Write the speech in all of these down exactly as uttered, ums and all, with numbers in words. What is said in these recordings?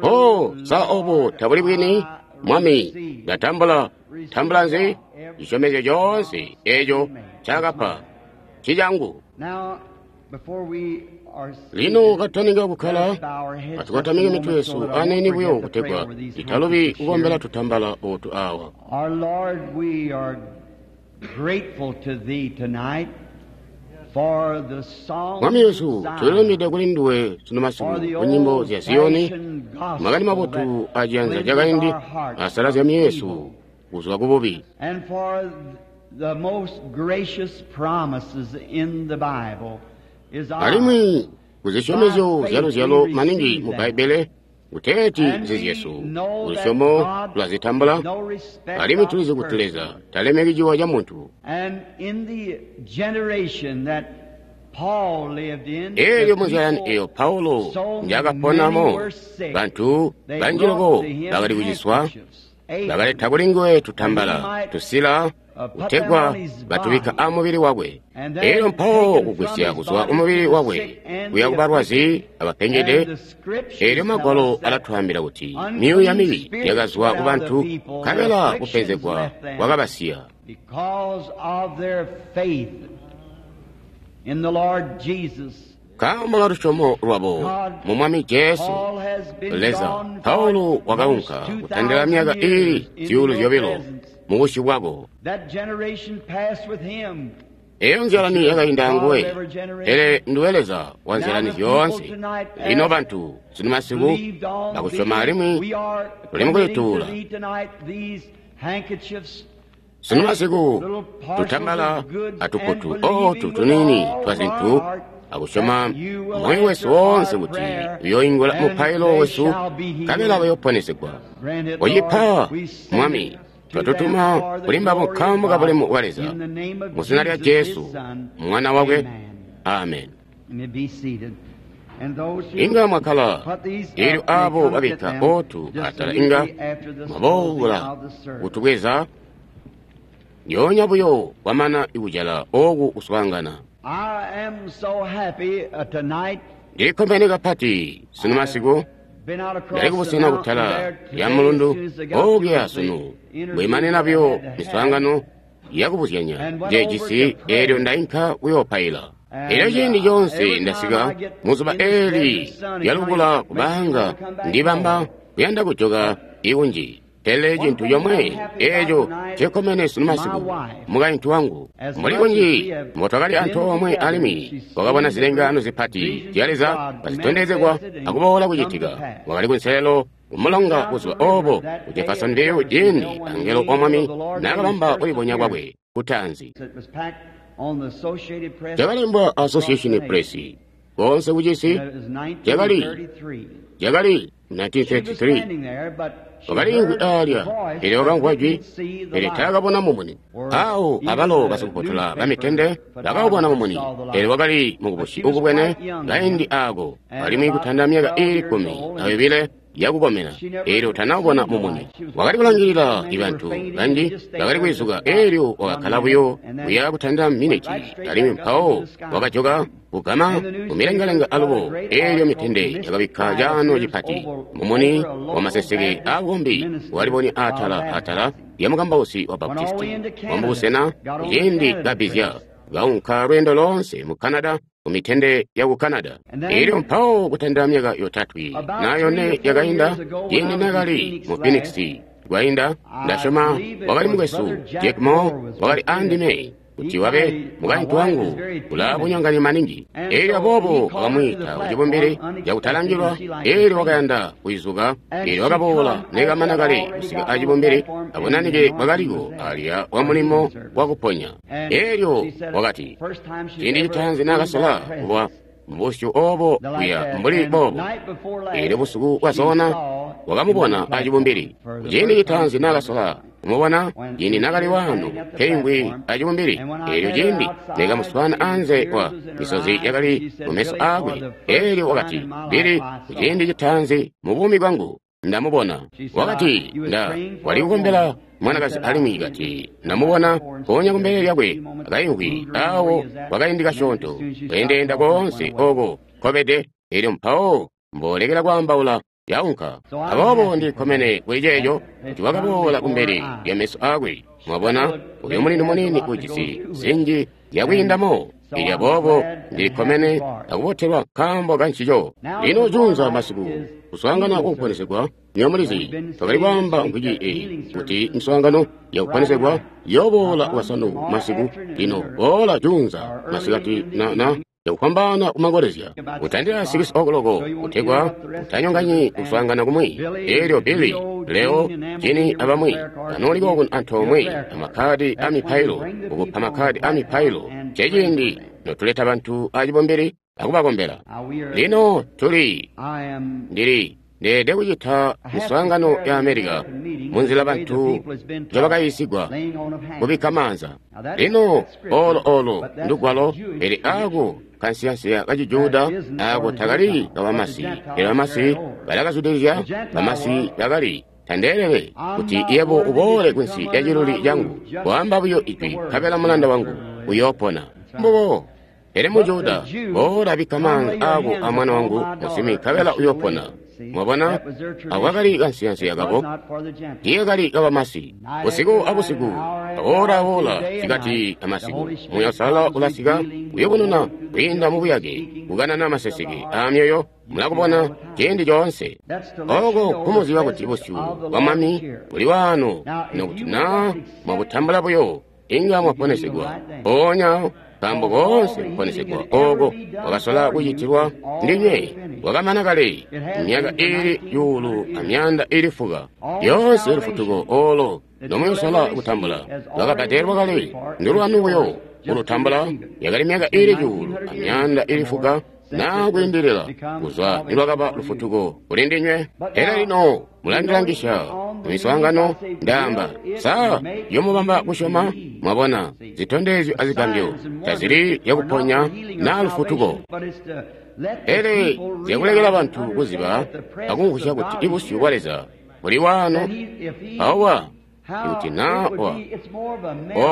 Oh, sa obo tabuli bwini? Mwami, ndatambula. Tambula nzi? Cisyomezyo coonse eco ncaakapa ncicangu. Lino kataninga kukkala, atukotamike mitwe yesu aniini buyo kutegwa titalubi kukombela tutambala ootu awa. Our Lord, we are grateful to Thee tonight for the song Mwami Yesu, tulilumide kuli nduwe sunu masiku ku nyimbo zya Ziyoni, makani mabotu aciyanza cakaindi asalazya myoyo yesu kuzwa ku bubi. and for the most gracious promises in the Bible is ours. Alimwi kuzisyomezyo zya luzyalo maningi mu Bbaibbele kuteeti nzizyesu, kulusyomo tulazitambula, No respect alimwi of tulizi kuti person. Leza talemeki ciwa ca muntu. And in the generation that Paul lived in, Eelyo the munzyalani people, eyo Paulo so njakaponamo, many were sick. bantu They banji brought loko to him bakali kuciswa, handkerchiefs, aprons, bakaleta kuli nguwe tutambala, tusila, kutegwa batubikka amubili wakwe. Eelyo mpawo kugwisya kuzwa umubili wakwe kuya kubalwazi abapengede. and the scriptures Eelyo tell magwalo us that alatwaambila kuti myuuya mibi yakazwa ku bantu, nkabela kupenzegwa kwakabasiya. because of their faith in the Lord Jesus, Nkaambo ka lusyomo lwabo mu Mwami Jesu, Paul has been Leza, gone for Paulo wakaunka almost kutandila myaka two thousand iili years in zyuulu your zyobilo presence. mu busyu bwako. That generation passed with him. Eyo nzyalani yakainda anguwe, pele nduwe Leza wa nzyalani zyoonse. Lino bantu sunu masiku Believed on bakusyoma thee. alimwi We are tuli mu committing to kulituula. thee tonight these handkerchiefs Sunu masiku tutambala atukutu ootu tuniini twa zintu akusyoma moyo wesu woonse kuti uyoingula mupailo wesu nkabela bayoponesegwa. Grant it, Oyipa, Lord. We send Mwami, it to twatutuma them for the kuli mbabo glory of nkaambo ka God. bulemu bwa Leza. In the name of Mu zina lya Jesus, his Jesu, Son. mwana wakwe. Amen. Amen. You may be seated. And those who Inga mwakhala, put these eelyo up may abo come get babikka them ootu just atala inga immediately after the closing mwaboola of the service. kutubweza lyoonya buyo kwamana ikujala ooku kuswaangana. I am so happy uh, tonight. Ndilikkomene kapati sunu masiku Been out across ndali the kubusena mountain kutala there lya today as mulundu soon as I got through okuya with the sunu interview bwimanena that I buyo had to have. miswaangano yakubuzyanya And went njejisi over to pray. eelyo ndainka kuyoopaila. And, Eelyo ciindi uh, coonse every time ndasika I get muzuba in this eeli desert sun, it lyalukula kinda makes me kubanga wanna come back ndibamba home. kuyanda kujoka ikunji. Pele One cintu thing comwe I'm happy eeco about tonight ncekomene sunu my masiku wife. mukaintu wangu As mbuli much as kunji we have mbotwakali been antoomwe together, alimwi she's wakabona seen the zilengaano great zipati visions zya of Leza God kazitondezegwa manifested and akuboola come to kucitika. pass. Wakali kunselelo kumulonga Down buzuba the river oobo that ku day at Jeffersonville ciindi Jeffersonville when the angelo wa angel Mwami of the Lord made his naakabamba first kulibonya kwakwe appearance. kutaanzi. It was packed on the Associated Press Cakalembwa across the Association nation. Press koonse kucisi That was cakali nineteen thirty-three. cakali She nineteen was thirty-three. standing there, but she Wakaliimvwi heard the aalya, voice, pele but wakamvwa jwi, didn't see the pele light. taakabona mumuni. Or Awo even abalo the basikufotola newspaper bamitende bakaubona mumuni, photographers saw the pele light. wakali But mukubusi she was ukubwene quite young kaindi then, aako, and alimwi about kutanda myaka twelve iili years kkumi old, na and yobile yakukomena, she never eelyo tanaubona seen the mumuni. light. She was Wakali watching kulangilila many were bantu fainting and banji just stayed bakali there just kwizuka, about eelyo one wakakkala minute, buyo and then kuya kutandila went miniti, right straight alimwi back up mpawo into the sky. wakajoka kugama And the newspaper mumilengalenga got a alubo, great eelyo article mitende yakabikka mystifying caano appears cipati. over, Mumuni over a local wamaseseke Baptist aabukombi minister walibonya of atala atala baptizing. lya mukambausi wa Went all the way Baptisti into Canada, wamubusena got over the ciindi Canada kabbizya Press. kaunka lweendo loonse mu Canada ku mitende yaku Canada. And Eelyo then mpawo kutandila myaka yotatwe about na three yone or four yakainda years ago when ciindi I was in nakali Phoenix mu last, Phoenix kwainda I ndasyoma believe it wakali was mukwesu Brother Jack Jack Moore Moore was wakali with me. andime kuti He wabe kind of, my mukaintu wife is wangu very ulaa timid. bunyongani maningi. And Eelyo so he aboobo called her to the wakamwiita platform kucibumbili unexpectedly, cakutalangilwa, and she liked to eelyo sing. wakayanda kuizuka, And eelyo she wakaboola come after nekamana I'd kale already kusika got on the acibumbili platform and the abunanike anointing was bwakaliko there alya wa for mulimo healing service. wakuponya. And Eelyo she said wakati first time she's ciindi ever citaanzi seen naakasola that kuba presence mubusyu oobo the like kuya that. mbuli And boobo. night before Eelyo last, busuku she bwasoona saw him on the wakamubona platform acibumbili. for the Kuciindi first time citaanzi she'd ever naakasola seen him. kumubona When ciindi she was nakali waano standing at the keingwi platform, acibumbili. and when I Eelyo met her ciindi outside, nekamuswaana the anze tears wa was in her misozi eyes, and yakali she said, mu meso Billy, for aakwe. the first Eelyo time wakati, in my life, Billy, I saw kuciindi her. citaanzi mu buumi bwangu ndamubona. She said, I, Wakati you was nda praying for wali a kukombela woman. And mwanakazi said, I alimwi seen him kati on the ndamubona platform mpoonya sitting kumbele there just a lyakwe few moments, akaimvwi moved around where awo he was at, kwakaindi and then as kasyoonto soon as she stopped kweendeenda talking, went koonse away. ooko nkobede. Eelyo mpawo mbolekela kwaambaula yaunka. Aboobo Ndi kkomene kuli ceeco kuti wakaboola kumbele lya meso aakwe. Mwabona, uyo mulindu muniini ujisi zinji zyakwiindamo. Elyo aboobo Ndili kkomene akubotelwa nkaambo ka ncico. Lino juunza masiku kuswaangana kukuponesegwa, nywebo mulizi, twakali kwaamba mvwiki eyi kuti miswaangano yakuponesegwa yooboola Bwasanu masiku. Lino boola juunza masikati na na yakufwambaana kumangolezya kutandila sikisi okuloko kutegwa utanyonganyi kuswaangana kumwi. Elyo Billy, Leo, Jini abamwi banooliko kuno antoomwe amakhadi a mipailo, kukupa makhadi a mipailo. Ceciindi notuleta bantu acibumbili akubakombela. Lino tuli ndili ndeede kucita miswaangano ya Amerika munzila bantu njobakayiisigwa kubikka maanza. Lino olo olo ndugwalo, pele ako kansiyansiya ka Cijuda ako takali kabamasi, pele bamasi balakazwidilizya. Bamasi bakali tandeelele kuti yebo uboole kunsi lya ciluli cangu, kwaamba buyo ijwi nkabela mulanda wangu uyoopona. Mbubo. Pele mu Juda, boola bikka maanza aako a mwana wangu musimbi nkabela uyoopona. Mwabona, ako kakali kansiyansiya kabo, tiikakali kabamasi. Busiku abusiku, awola awola, sikati amasiku, Muuya Uusalala ulasika kuyubununa kwiinda mubuyake, kukanana maseseke aamyoyo, mulakubona ciindi coonse. Oko kumuziba kuti busyu bwa Mwami buli waano, nokuti naa mwabutambula buyo, inga mwaponesegwa mpoonya. Nkaambo koonse kuponesegwa oko kwakasola kucitilwa ndinywe kwakamana kale myaka iili cuulu amyanda iili fuka. Lyoonse lufutuko olo nomuyosola kutambula lwakabbadelwa kale, ndulwanu buyo kulutambula. Yakali myaka iili cuulu amyanda iili fuka naa kwiindilila kuzwa nilwakaba lufutuko kuli ndinywe. Pele lino mulandilangisha mumiswaangano, ndaamba sa yomubamba kusyoma. Mwabona, zitondezyo azigambyo tazili zyakuponya naa lufutuko, pele zyakulekela bantu kuziba akumvwisya kuti ibusyu bwa Leza buli waano. Awa ikuti naa wa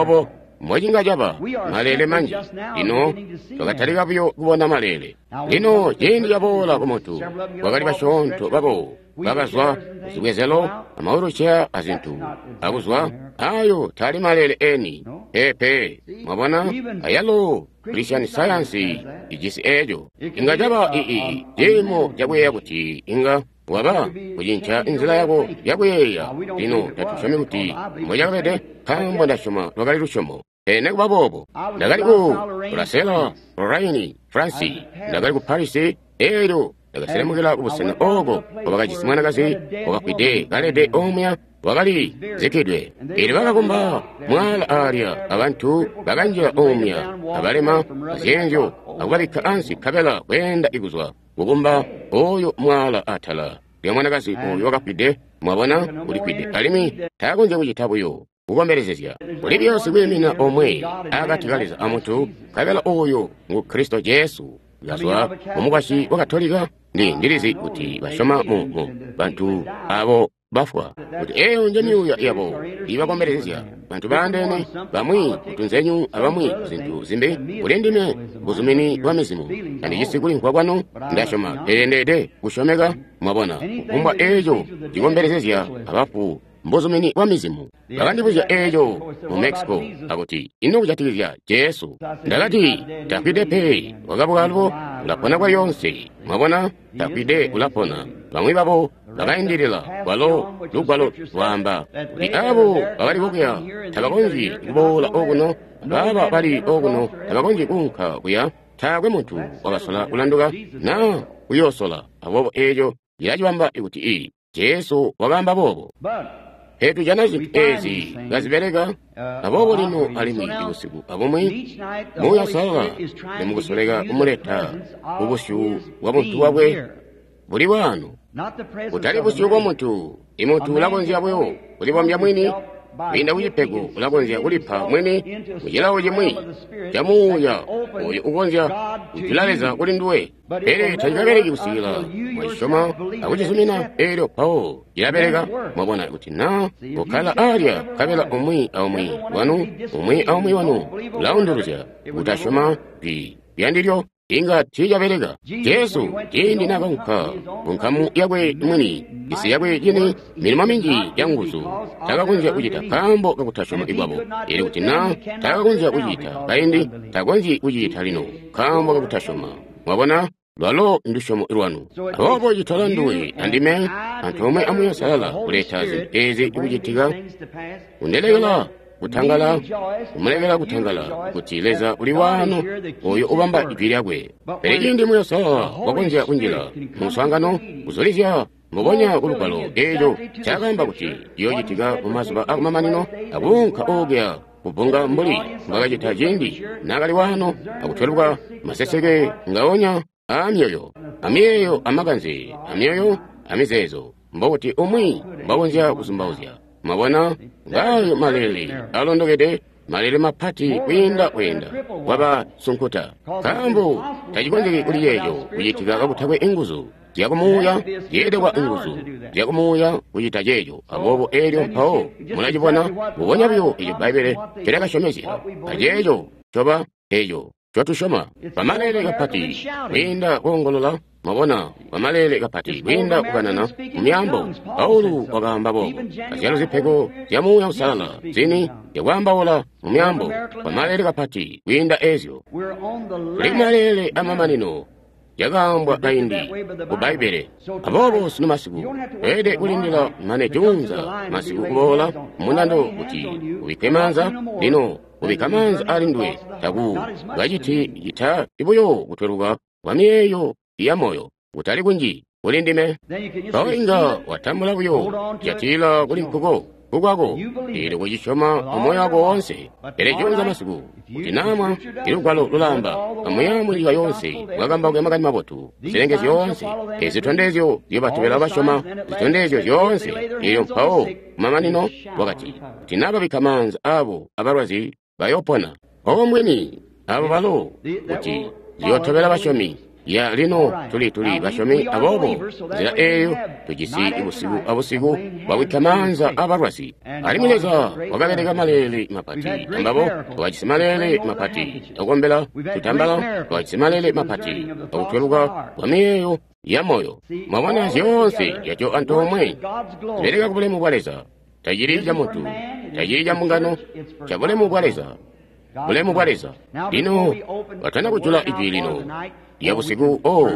obo mbocinga caba maleele manji. Lino twakatalika buyo kubona maleele. Lino ciindi caboola ku muntu, kwakali basyoonto babo bakazwa kuzibwezelo amawuluceya azintu akuzwa. Ayo taali maleele eni pepe. Mwabona, ayalo Christian Science ijisi eco. Inga caba ii ciimo cakuyeeya kuti inga waba kucinca inzila yako yakuyeeya. Lino tatusyomi kuti mbocakabede, nkaambo ndasyoma lwakali lusyomo. Pele nekuba boobo, ndakali ku Bruxelles, Lorraine, France, ndakali ku Paris. Elyo ndakaselemukila kubusena oko kwabakajisi mwanakazi wakafwide kalede omuya, wakali zikkidwe. Elyo bakakumba mwaala aalya, abantu bakanjila omuya abalema azyeenzyo akubabikka ansi, nkabela kweenda ikuzwa kukumba oyo mwaala atala lya mwanakazi oyo wakafwide. Mwabona, ulifwide alimwi taakonzya kucita buyo kukombelezezya. Kuli buyo sikwiimina omwe akati ka Leza amuntu, nkabela oyo ngu Kristo Jesu. Kazwa mumukwasyi wa Katolika, ndi ndilizi kuti basyoma mu, mu bantu abo bafwa, kuti eyo nje myuuya yabo ibakombelezezya. Bantu baandeene, bamwi kutunzenyu abamwi zintu zimbi. Kuli ndime buzumini bwa mizimu, tandijisi kulimvwa kwanu, ndasyoma, pele ndeede kusyomeka. Mwabona, kufumbwa eco cikombelezezya abafu mbuzumini bwa mizimu. Bakandibuzya eco mu Mexico akuti, ino kujatikizya Jesu? Ndakati, tafwide pe, wakabuka alubo, ulapona kwa lyonse. Mwabona, tafwide, ulapona. Bamwi babo bakaindilila kwalo lugwalo lwaamba kuti abo bakali kokuya tabakonzyi kuboola okuno, abaaba bali okuno tabakonzyi kuunka kuya. Taakwe muntu wakasola kulanduka naa kuyoosola. Aboobo eco cilacibamba kuti i Jesu wakaamba boobo. Pele tujana zintu ezi kazibeleka. Aboobo lino alimwi busiku abumwi Muuya Uusalala limukusoleka kumuleta kubusyu bwa buntu bwakwe buli waano, kutali busyu bwa muntu. Imuntu ulakonzya buyo kulibombya mwini kwiinda kucipego, ulakonzya kulipa mwini mucilawo cimwi ca muuya oyo ukonzya kujula Leza kuli nduwe, pele tacikabeleki kusikila mwacisyoma akucizumina. Elyo mpawo cilabeleka. Mwabona, kuti naa kukkala alya nkabela umwi aumwi wanu umwi aumwi wanu ulaunduluzya kutasyoma jwi lyandilyo. Inga tiicabeleka. Jesu ciindi naakaunka ku nkamu yakwe mwini, isi yakwe yini, milimo minji ya nguzu takakonzya kucita nkaambo kakutasyoma kwabo. Elyo kuti na takakonzya kucita kaindi, takonzyi kucita lino nkaambo kakutasyoma. Mwabona? Lwalo ndusyomo lwanu. Aboobo citola nduwe andime antoomwe a Muuya Uusalala kuleta zintu ezi kucitika, kundilekela kutangala, kumulekela kutangala kuti Leza uli waano oyo ubamba ijwi lyakwe. Pele ciindi Muuya Uusalala wakonzya kunjila mu muswaangano, kuzulizya mbubonya ku Lugwalo eeco ncaakaamba kuti ciyoocitika mu mazuba akumamanino, akuunka okuya kubbunga mbuli mbwakacita ciindi naakali waano, akutweluka maseseke ngaonya aamyoyo, amiyeeyo, amakanze, amyoyo, amizeezo, mbokuti umwi mbwakonzya kuzumbauzya. Mwabona, ngaayo maleele alondokede, maleele mapati kwiinda kweenda kwaba sunkuta, nkaambo tacikonzeki kuli ceeco kucitika kakutakwe inguzu zyakumuuya, zyeelekwa inguzu zyakumuuya kucita ceeco. Aboobo eelyo mpawo mulacibona mbubonya buyo eco Bbaibbele ncolyakasyomezya, aceeco coba eco ncotusyoma. Pamaleele kapati kwiinda koongolola, mwabona, pamaleele kapati kwiinda kukanana mu myaambo. Paulo wakaamba boobo, azyalo zipego zya Muuya Uusalala zini zyakwaambaula mu myaambo, pamaleele kapati kwiinda ezyo. Tuli kumaleele amamanino, yakaambwa kaindi ku Bbaibbele. Aboobo sunu masiku tweelede kulindila mane juunza masiku kuboola mundando kuti ubikke maanza. Lino kubikka maanza ali nduwe taku kaciti cita buyo kutweluka kwa miyeeyo ya moyo, kutali kunji kuli ndime. Mpawo inga watambula buyo jatila kuli nkuko kukwako, eelyo kucisyoma amoyo wako woonse. Pele juunza masiku kuti namwa ilugwalo lulaamba amuya munyika yoonse bwakambauka makani mabotu zilenge zyoonse, ezi zitondezyo zyobatobela basyoma, zitondezyo zyoonse. Eelyo mpawo kumamanino wakati kuti nababikka maanza abo abalwazi bayopona. Obo mbwini abo balo kuti ziyootobela basyomi. Ya lino tuli tuli basyomi, aboobo nzila eeyo tujisi busiku abusiku bwabikka maanza abalwazi. Alimwi Leza wakabeleka maleele mapati ambabo, wakajisi maleele mapati akukombela tutambala, wakajisi maleele mapati akutweluka kwa miyeeyo ya moyo. Mwabona zyoonse yaco antoomwe zibeleka ku bulemu bwa Leza. Tacili ca muntu, tacili ca mbungano, ca bulemu bwa Leza. Bulemu bwa Leza. Lino batana kujula ijwi lino lya busiku, oh,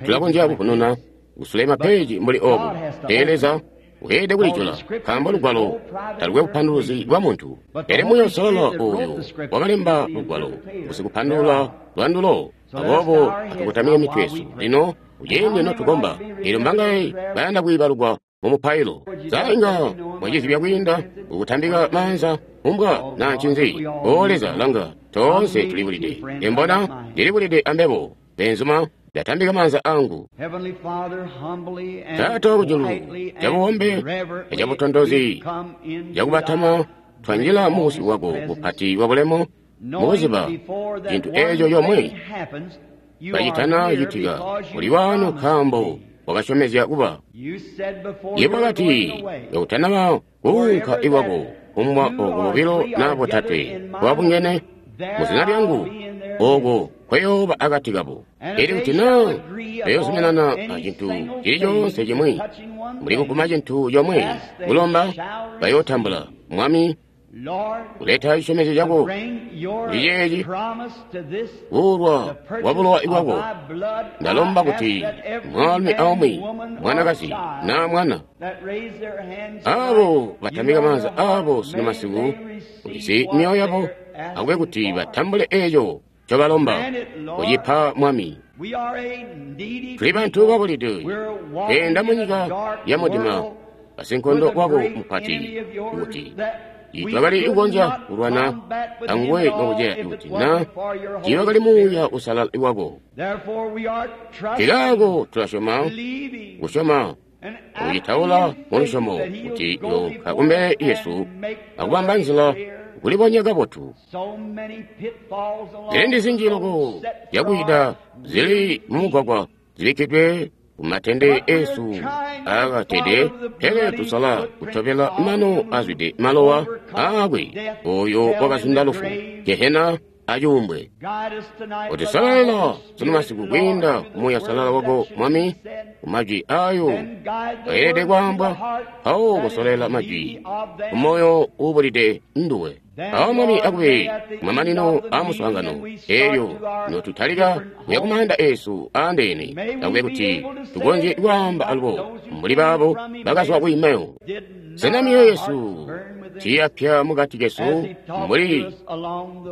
tulakonzya kufununa kusule mapeji mbuli obu. Pele Leza weelede kulijula, nkaambo lugwalo talukwe bupanduluzi bwa muntu. Pele Muuya Uusalala oyo wakalemba lugwalo usikupandulula lwandulo. Aboobo atukotamike mitwe yesu lino kuciindi notukomba. Eelyo mbangaye bayanda kwiibalukwa mu mupailo? Sa inga mwacizibya kwiinda kukutambika maanza umbwa na ncinzi? O Leza, langa, toonse tulibulide. Embona ndilibulide ambebo, benzuma, ndatambika maanza angu. Taata wakujulu, cabuombe acabutontozi, cakubatama twanjila mu busyu bwako bupati bwa bulemu, mukuziba cintu eeco yomwe kacitana citika uli waano nkaambo wakasyomezya kuba. Yebo wakati kakutanaba kuunka ikwako kumbwa oko bobilo na botatwe kwabungene mu zina lyangu, oko kweyooba akati kabo. Elyo kuti naa bayozuminana acintu cili coonse cimwi, mbuli kuguma cintu comwe kulomba, bayootambula. Mwami, kuleta cisyomezyo cako kuli ceeci kuulwa kwa bulowa bwako, ndalomba kuti mwaalumi aumwi, mwanakazi naa mwana, abo batambika maanza abo sunu masiku, ulizi myoyo yabo, akube kuti batambule eeco ncobalomba kucipa Mwami. Tuli bantu babulide, tweenda munyika ya mudima, basinkondo wako mupati, kuti tiitwakali kukonzya kulwana anguwe nokuceya kuti na tiiwakali Muuya Uusalala wako. Nkaako tulasyoma, kusyoma akucitaula mulusyomo kuti yoonka kumbele yesu akubamba nzila kulibonya kabotu. Zilindi zinji loko zyakucita zili mumugwagwa zibikkidwe kumatende esu aakatede, pele tusala kutobela mano azwide malowa aakwe oyo wakazunda lufu, Gehena acuumbwe. Utusololela sunu masiku kwiinda Muuya Salala wako Mwami, kumajwi ayo ayelede kwaambwa, mpawo kusolela majwi kumoyo uubulide nduwe. Awo Mwami akube kumamanino a muswaangano eelyo notutalika kuya kumaanda eesu aandeene, akube kuti tukonzye kwaamba alubo mbuli baabo bakazwa ku Emau. Sena myoyo yesu tiiyapya mukati kesu mbuli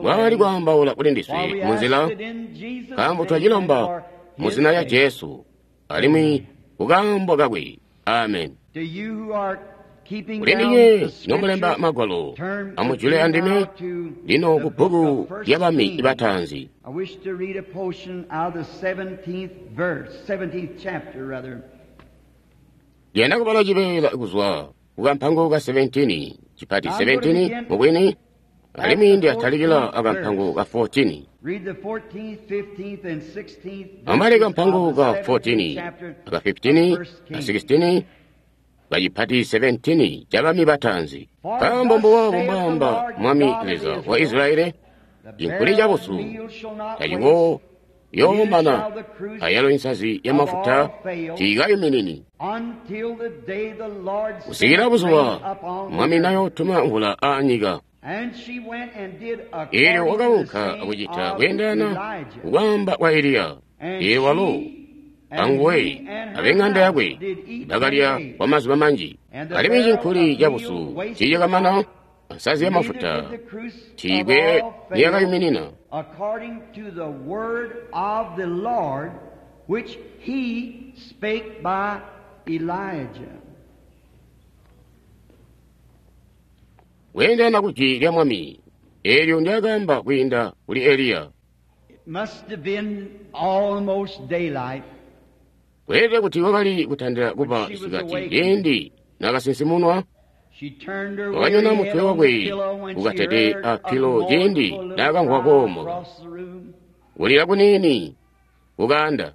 bwakali kwaambaula kuli ndiswe munzila? Nkaambo twacilomba mu zina lya Jesu alimwi kukaambo kakwe. Amen. Kuli ndinywe nomulemba magwalo, amujule andime lino ku bbuku lya Bami Bataanzi. Ndiyanda kubala cibeela kuzwa kukampango ka seventeen, cipati seventeen mubwini, alimwi ndiyatalikila akampango ka fourteen. Amubale kampango ka fourteen, aka fifteen, ka sixteen, kacipati seventeen ca Bami Bataanzi. Nkaambo mbuwabo mbwaamba Mwami Leza wa Isilayeli, cinkuli cabusu taciko yoomana, ayalo insazi yamafuta tiikayuminini kusikila buzuba Mwami nayootuma mvula aanyika. Eelyo wakaunka akucita kweendelana kukwaamba kwa Eliya. Eelyo walo anguwe abeng'anda yakwe bakalya kwa mazuba manji. Alimwi cinkuli cabusu tiicakamana, nsazi yamafuta tiikwe niyakayuminina. According to the word of the Lord, which he spake by Elijah. Kweendelana ku jwi lya Mwami, eelyo ndyakaamba kwiinda kuli Eliya. It must have been almost daylight. Kweelede kuti wakali kutandila kuba isikati ciindi naakasinsimunwa. Wakanyona mutwe wakwe ukatede a pilo ciindi naakamvwa koomoka kulila kuniini kukaanda.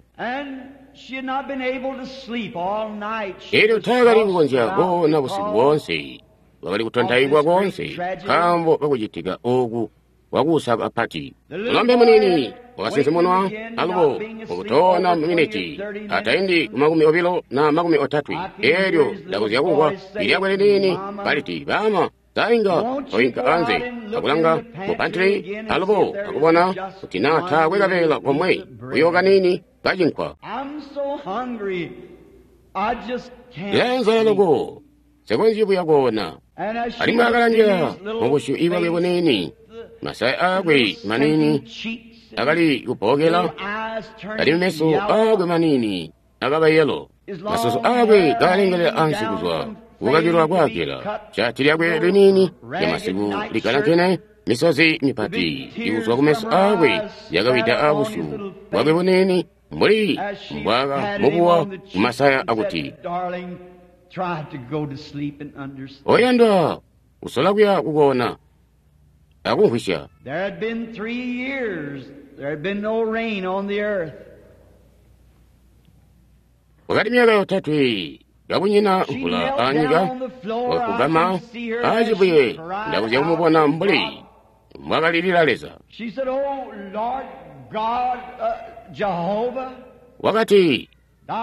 Eelyo taakali kukonzya koona busiku boonse, wakali kutontaikwa koonse nkaambo kakucitika ooku wakuusa kapati. Mulombe muniini wakasinsimunwa alubo mukutoona maminiti ataindi ku makumi obilo na makumi otatwe. Eelyo ndakonzya kumvwa ilyakwe liniini kaliti, "Baama, sainga oinka anze akulanga mu pantry alubo akubona kuti naa taakwe kabeela komwe buyo kaniini kacinkwa. Ndilaenzala loko, nsikonzyi buya koona." Alimwi akalangila mubusyu ibwakwe buniini, masaya aakwe maniini akali kubbokela, alimwi meso aakwe maniini akaba yelo, masusu aakwe kaalengelela ansi kuzwa kukakilwa kwaakela, shati lyakwe liniini lyamasiku likalankene, misozi mipati ikuzwa kumeso aakwe yakawida abusyu bwakwe buniini mbuli mbwakamubuwa kumasaya akuti, "Oyandwa, usola kuya kukoona akumvwisya." There had been three years, there had been no rain on the earth. Wakati myaka yotatwe kakunyina mvula aanyika, wakugama aacibuye ndakuzya kumubona mbuli mbwakalilila Leza. She said, "Oh Lord God, uh, Jehovah, Wakati,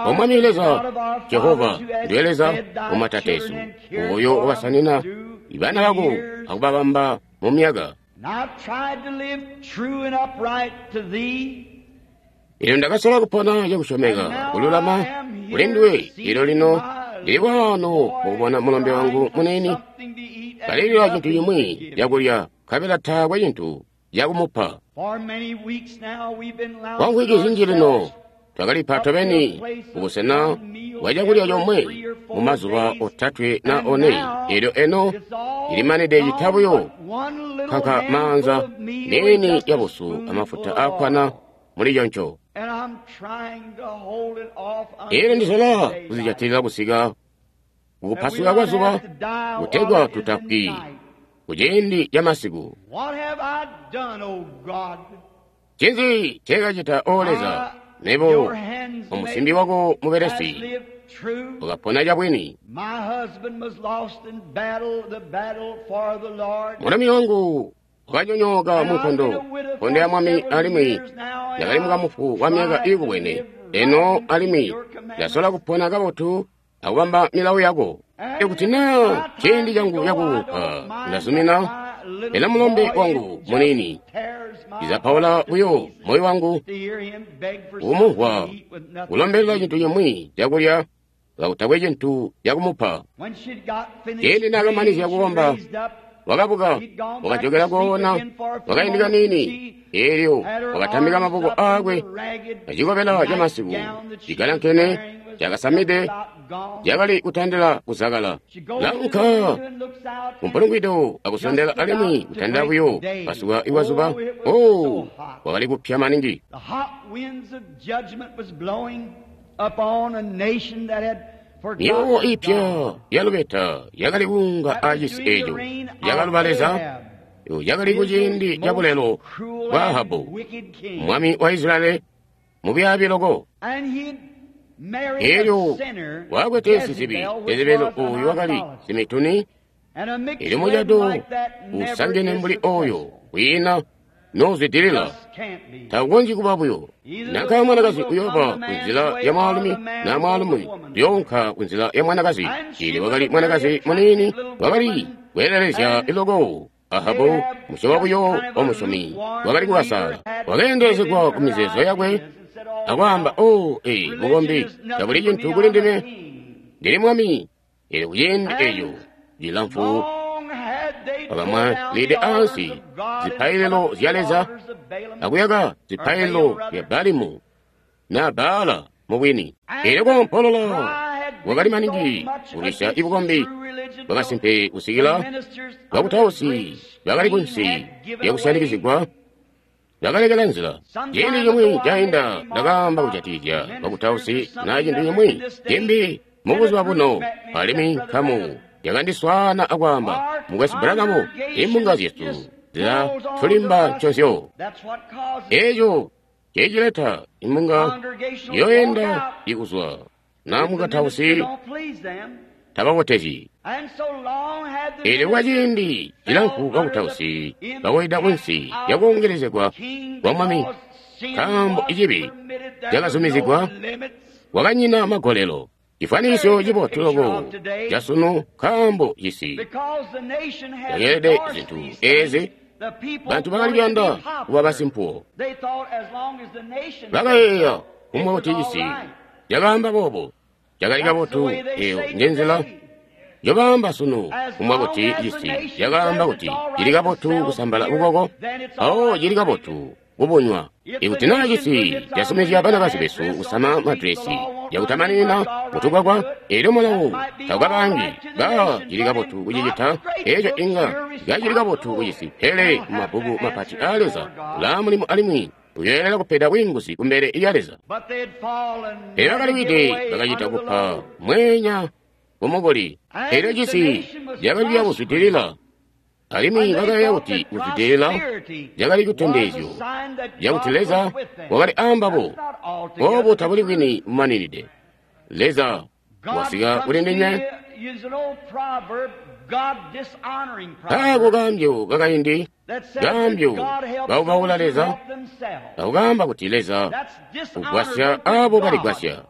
"O Mwami Leza, Jehova, ndiwe Leza wamatateesu, oyo wakasanina ibana bako akubabamba mu myaka. And I've tried to live true and upright to thee. Eelyo ndakasola kupona cakusyomeka kululama kuli nduwe. Eelyo lino ndili waano mukubona mulombe wangu muniini kalilila cintu cimwi cakulya, nkabela taakwe cintu cakumupa. For many weeks now we've been Kwa mvwiki zinji lino twakalipa tobeni kubusena bwa cakulya comwe mu mazuba otatwe na one. Eelyo eno ilimanide cita buyo kanka maanza niini yabusu amafuta aakkwana muli conco. And I'm trying to hold it off Eelyo ndisola until kuzijatilila kusika kukupasuka daylight. kwa zuba, We not have to die kutegwa while it is in tutafwi night. kuciindi ca masiku. What have I done, O God? Ncinzi nceekacita, O Leza? Mebo Your hands omusimbi wako has mubelesi lived true. ukapona cabwini. My husband was lost in battle, the battle for the Lord. Mulumi wangu Wakanyonyooka mu nkondo, nkondo ya Mwami, alimwi ndakali mukamufu wa myaka iikubwene. Eno alimwi ndasola kupona kabotu akubamba milawo yako. Ikuti naa ciindi cangu cakuunka, ndazumina, ena mulombe wangu muniini cizapaula buyo moyo wangu kumumvwa kulombelela cintu cimwi cakulya kakutakwe cintu cakumupa. Ciindi naakamanizya kukomba, wakabuka, wakajokela koona, wakaindi kaniini, eelyo wakatamika maboko aakwe acikobela camasiku cigalankene cakasamide cakali kutandila kuzakala. Launka kumpulungwido akusondela alimwi kutandila buyo pasuka iwazuba. Oh, wakali kupya maningi. Myowo ipya yalubeta yakali kuunga acisi eeco yakaluba Leza, yakali kuciindi cabulelo bwa Ahabu mwami wa Israeli mubyaabi loko. Eelyo wakwete sizibi Jezebeli uyu wakali simituni, eelyo mucado usangene mbuli oyo kwiina nozwidilila takukonzyi kuba buyo. Nanka mwanakazi uyooba kunzila ya mwaalumi na mwaalumi uyoonka kunzila ya mwanakazi. Eelyo wakali mwanakazi muniini wakali kweelelezya iloko. Ahabu musyobo buyo wa musyomi wakali kukasala, wakeendelezegwa ku mizeezo yakwe akwaamba, oh, ee, mukombi tabuli cintu kuli ndime, ndili mwami. Eelyo kuciindi eeco cilamfu wakamwalide ansi zipaililo zya Leza akuyaka zipaililo zya Balimu na Baala mubwini. Eelyo koompolola wakali maningi kulwisya ibukombi bwakasimpe kusikila bakutausi bakali kunsi lyakusyanikizigwa bakalekela nzila. Ciindi cimwi cainda ndakaamba kujatikizya bakutausi na cintu cimwi cimbi mubuzuba buno, alimwi nkamu yakandiswaana akwaamba, Mukwesu Branham, imbunga zyesu zila tulimba nconzyo. Eeco cecileta imbunga yoyenda ikuzwa na mukatausi tababotezyi. Eelyo kwaciindi cilamfu bakutausi bakoyida kunsi lyakuongelezegwa kwa mwami, nkaambo icibi cakazumizigwa, kwakanyina magolelo. Cifwanisyo cibotu loko casunu, nkaambo cisi cakeelede zintu eezi, bantu bakali kuyanda kuba basimpuwo. Bakayeeya kumwa kuti cisi cakaamba boobo cakali kabotu. Eyo njenzila njobaamba sunu, kumwa kuti cisi cakaamba kuti cili kabotu kusambala bukoko, awo cili kabotu kubunywa. Ikuti naa cisi casumizya banakazi besu kusama madresi yakutamanina mutukwakwa, eelyo mulawo taukabangi ba cili kabotu kucicita. Eeco inga kacili kabotu kucisi, pele mumabbuku mapati aa Leza ulaa mulimo alimwi uyoelela kupeda bwiinguzi kumbele lya Leza. Pele bakaliwide bakacita kupa mweenya kumukuli. Eelyo cisi cakali kuyakuzwidilila, alimwi bakayeeya kuti kuzwidilila cakali citondezyo cakuti Leza wakali aambabo. Oobu tabuli bwini bumaninide. Leza wasika kuli ndinywe. Kaako kaambyo kakaindi, kaambyo kaubaula Leza, akukaamba kuti Leza ugwasya aabo baligwasya.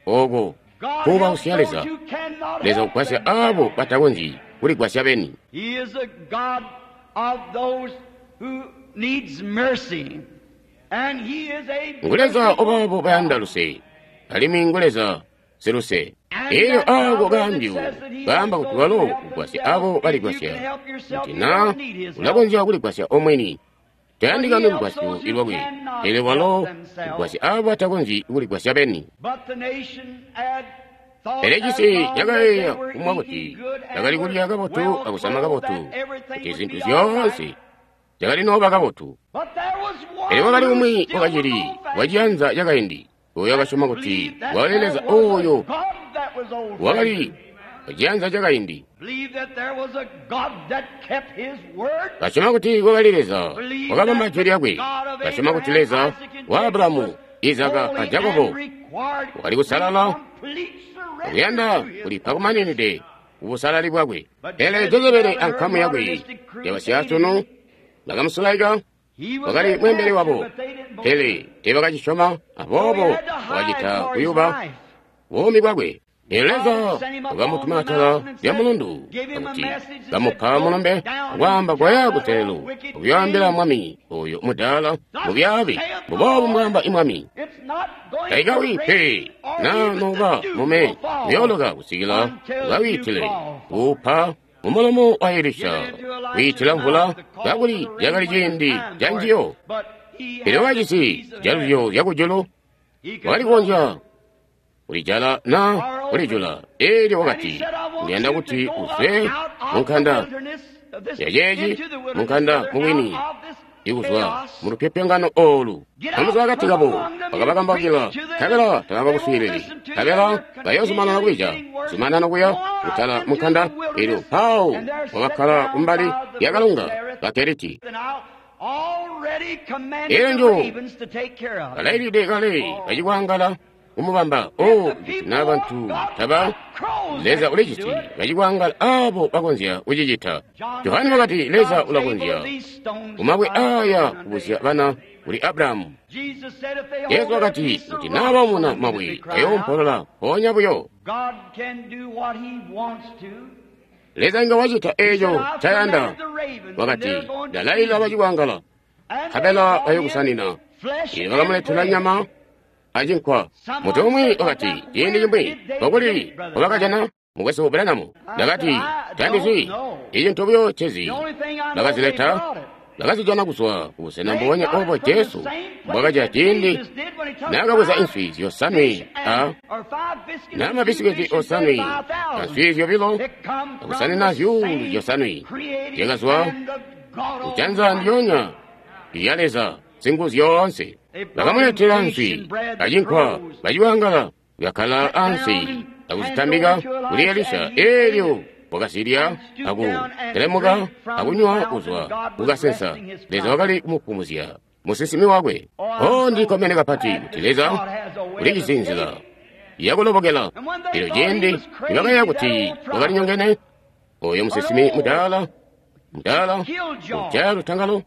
Ooko kuubausya Leza. Leza ugwasya aabo batakonzyi kuligwasya beni. Ngu Leza obaabo bayanda luse, alimwi ngu Leza siluse. Eelyo aako kaambyo kaamba kuti walo ugwasya aabo baligwasya, kuti naa ulakonzya kuligwasya omweni, tayandikani lugwasyo lwakwe, pele walo ugwasya aabo batakonzyi kuligwasya beni. Pele cisi cakayeeya kumwa kuti cakali kulya kabotu akusama kabotu, kuti zintu zyoonse zyakali nooba kabotu. Pele wakali umwi wakacili waciyanza cakaindi, oyo wakasyoma kuti wakali Leza oyo wakali waciyanza cakaindi, kasyoma kuti kwakali Leza wakabamba jwi lyakwe, kasyoma kuti Leza wa Abulahamu, Izaka a Jakobo wakali kusalala akuyanda kulipa kumaninide kubusalali bwakwe. Pele Jezebeli ankamu yakwe yabasyaasunu Bakamusulaika. Wakali mweembeli wabo, pele teebakacisyoma, aboobo wakacita kuyuba buumi bwakwe. Leza wakamutuma atala lya mulundu akuti kamupa mulumbe akwaamba koya kutelelu akuyoambila mwami oyo mudaala mubyaabi mbuboobu mbwaamba imwami. Taikawi pe na noba mume uyooloka kusikila ukawiitile kuupa mumulomo wa Elisha kwiitila mvula kakuli cakali ciindi ca njiyo. Pele wakajisi jaluzyo zyakujulu, wakali kukonzya kulijala na kulijula. Eelyo wakati, ndiyanda kuti uzwe munkanda yaceeci, munkanda mubwini, ikuzwa mulupyopyongano oolu. Amuzwa akati kabo bakabakambakila, nkabela tabakuswiilili, nkabela bayoozumanana kulija, zumanana kuya kutala munkanda. Eelyo mpawo wakakkala kumbali lyakalonga ka Keriti. Eelyo njo kalailide kale bacikwangala kumubamba. O na bantu taba Leza uliciti bacikwangala abo bakonzya kucicita. Johane wakati Leza ulakonzya kumabwe aya kubusya bana kuli Abrahamu. Yesu wakati kuti naabaumuna mabwe ayoompolola mpoonya buyo. Leza inga wacita eeco ncayanda. Wakati ndalailila bacikwangala nkabela bayokusanina. Eelyo bakamuletela nyama acinkwa. Muntu umwi wakati ciindi cimwi kokuli wabakajana mukwesu Branham. Ndakati tandizi icintu buyo cezi. Bakazileta, bakazijana kuzwa kubusena mbubonya obo Jesu mbwakacita ciindi naakabweza inswi zyosanwe a na mabisiketi osanwe answi zyobilo akusanina zyuulu zyosanwe zyakazwa kujanza ndyonya lya Leza singu zyoonse. Bakamuletela nswi acinkwa, baciwangala bakakkala ansi akuzitambika kuli Elisha. Eelyo wakazilya akutelemuka akunywa kuzwa kukasensa. Leza wakali kumupumuzya musinsimi wakwe. O ndikkomene kapati kuti Leza ulijisi nzila yakulobokela. Eelyo ciindi nibakayeeya kuti wakalinyongene, oyo musinsimi mudaala mudaala ujaya lutangalo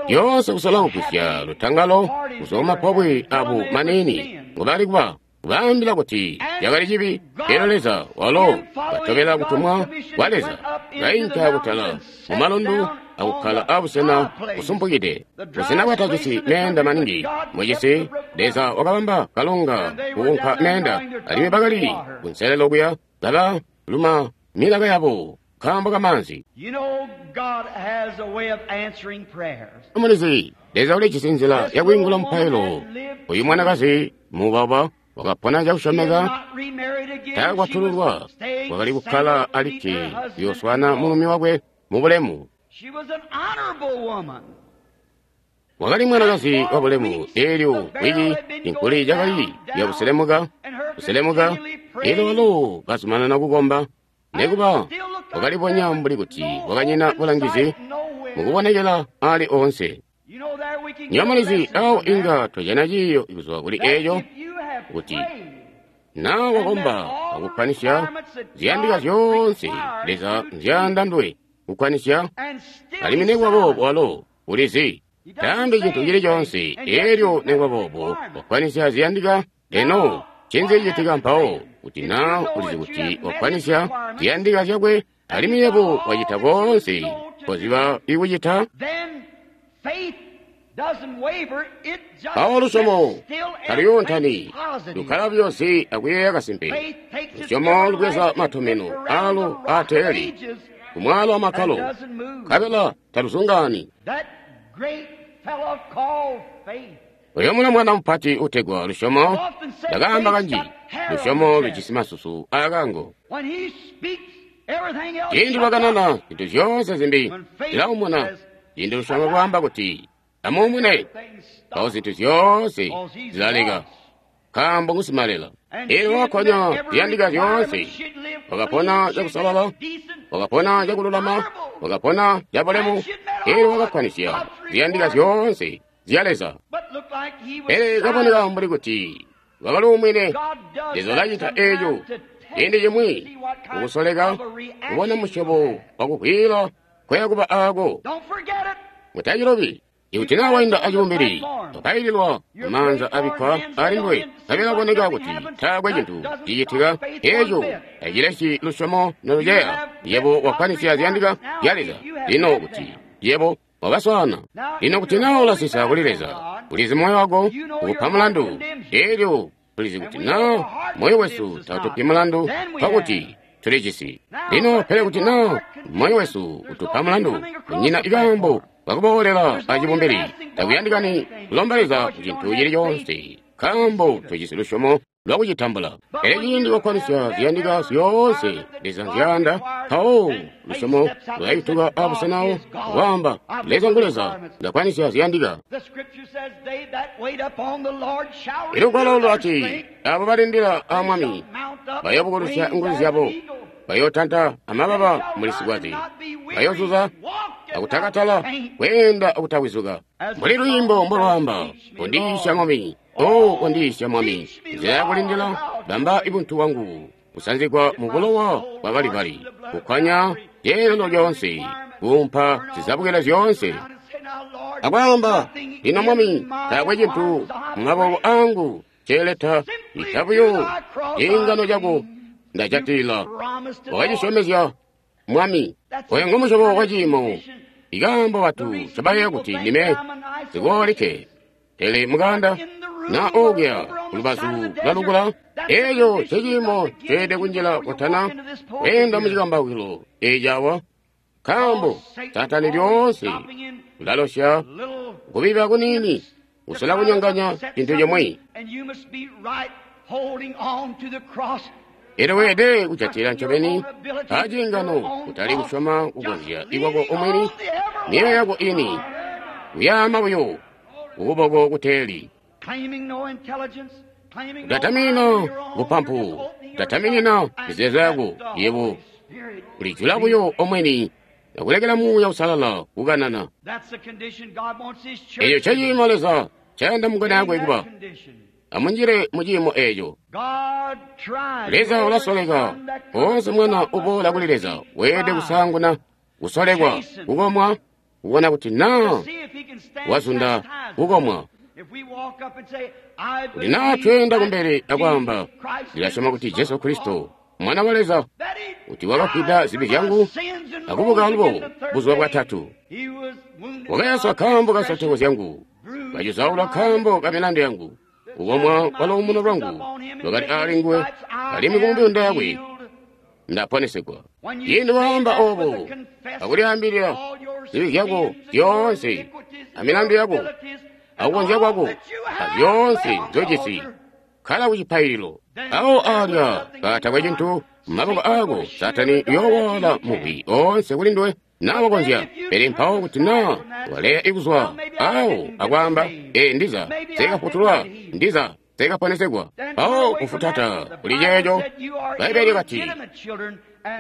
lyoonse kusola kugwisya lutangalo kuzwa mumapobwe abo maniini ngobali kuba kubaambila kuti cakali cibi. Eelyo Leza walo katobela kutumwa kwa Leza kainka kutala mumalundu akukkala abusena busumpukide, busena bwatajisi meenda maningi mucisi. Leza wakabamba kalonga kukunka meenda, alimwi bakali kunselelo kuya kaba luma milaka yabo nkaambo kamaanzi. Mulizi, Leza ulijisi nzila yakwiingula mupailo. Uyu mwanakazi mubaba wakapona cakusyomeka, taakwatululwa, wakali kukkala alikke kuyooswana mulumi wakwe mubulemu. Wakali mwanakazi wabulemu. Eelyo wiki inkuli cakali yakuselemuka kuselemuka, eelyo walo kazumanana kukomba. Nekuba wakalibonya mbuli kuti wakanyina bulangizi mukubonekela ali oonse. Nyomulizi awo inga twajana ciiyo kuzwa kuli eeco kuti na wakomba akukwanisya ziyandika zyoonse Leza nzyayanda nduwe kukwanisya, alimwi nekuba boobo walo ulizi taambi cintu cili coonse. Eelyo nekuba boobo wakwanisya ziyandika, eno ncinzi cicitika mpawo kuti na ulizi kuti wakwanisya ziyandika zyakwe, alimwi yebo wacita koonse koziba ikucita? Mpawo lusyomo taluyoontani, lukkala buyosi akuyeeya kasimpe. Lusyomo lubweza matomeno alo aateeli kumwalo wamakkalo, nkabela taluzungaani. Oyo mwana mupati utegwa lusyomo, ndakaamba kanji, lusyomo lujisi masusu aakango. Ciindi lwakanana zintu zyoonse zimbi zilaumuna. Ciindi lusyomo lwaamba kuti amuumune, mpawo zintu zyoonse zilaleka, nkaambo ngusimalela. Eelyo wakakonya ziyandika zyoonse, wakapona cakusalala, wakapona cakululama, wakapona cabulemu. Eelyo wakakwanisya ziyandika zyoonse zya Leza. Pele kaboneka mbuli kuti wakaluumwine. Leza ulacita eeco ciindi cimwi kukusoleka kubona musyobo wakuvwiila nkoya kuba aako. Mutacilobi. Ikuti naa wainda acibumbili, wapaililwa maanza abikkwa alinduwe, nkabela kuboneka kuti taakwe cintu cicitika, eeco tacilesyi lusyomo noluceya. Yebo wakkwanisya ziyandika zya Leza. Lino kuti yebo wabaswaana. Lino kuti naa ulasisa kuli Leza, ulizi moyo wako ukupa mulandu. Elyo tulizi kuti naa moyo wesu tautupi mulandu, nkokuti tulijisi. Lino pele kuti naa moyo wesu utupa mulandu, kunyina ikaambo kakuboolela acibumbili. Takuyandikani kulomba Leza ku cintu cili coonse, nkaambo tujisi lusyomo lwakucitambula. Pele ciindi wakkwanisya ziyandika zyoonse Leza nzyayanda, mpawo lusyomo lulayutuka abusenawo akwaamba, Leza ngu Leza, ndakkwanisya ziyandika. Ilugwalo lwati, abo balindila a Mwami bayoobukulusya nguzu zyabo, bayootanta amababa muli sikwaze, bayoozuza akutakatala, kweenda akutawizuka. Mbuli lwiimbo mbolwaamba, kondiisya Mwami, o kondiisya Mwami, nzila yakulindila, bamba ibuntu bwangu kusanzigwa mu bulowa bwa Kalivali, kukkwanya zyeelelo zyoonse, kuumpa zizabukilo zyoonse. Akwaamba, lino Mwami, taakwe cintu mumaboko angu ceeleta ita buyo ciingano cako ndajatila. Wakacisyomezya Mwami. Oyo ngomusyobo wa ciimo. Ikaambo batu ncobayeeya kuti ndime sikoolikke, pele mukanda na okuya kulubazu lwa lukula, eeco nceciimo ceelede kunjila kutana kweenda mucikambaukilo eeci awa, nkaambo Saatani lyoonse ulalosya kubiba kuniini kusola kunyonganya cintu cimwi. Elyo weelede kujatila ncobeni aciingano, kutali kusyoma kukonzya ikwako omwini, myoyo yako ini, kuyaama buyo kukuboko kuteeli. Kutatamina bupampu, kutataminina mizeezo yako, yebo ulijula buyo omwini akulekela Muuya Uusalala kukanana. Eeco nceciimo Leza ncayanda mungoni akwe kuba. Amunjile mu ciimo eeco. Leza ulasoleka. Oonse mwana uboola kuli Leza weelede kusaanguna kusolekwa, kukomwa, kubona kuti naa wazunda kukomwa. Kuti naa tweenda kumbele akwaamba, ndilasyoma kuti Jesu Kristo Mwana wa Leza, kuti wakafwida zibi zyangu akubuka alubo buzuba bwatatu. Wakayaswa nkaambo ka nsotoko zyangu, kacuzaulwa nkaambo ka milandu yangu. Kukomwa kwa luumuno lwangu lwakali aali nguwe, alimwi ku mibunda yakwe ndaponesegwa. Ciindi waamba oobo akulyaambilila zibi zyako zyoonse amilandu yako akukonzya kwako azyoonse nzojisi, kkala kucipaililo. Awo alya katakwe cintu mumaboko aako, Saatani uyoowaala mubi oonse kuli nduwe naa wakonzya. Pele mpawo kuti naa waleya ikuzwa awo akwaamba, ee, ndiza nseekafutulwa, ndiza nseekaponesegwa, mpawo kufutata kuli ceeco. Bbaibbele lyakati,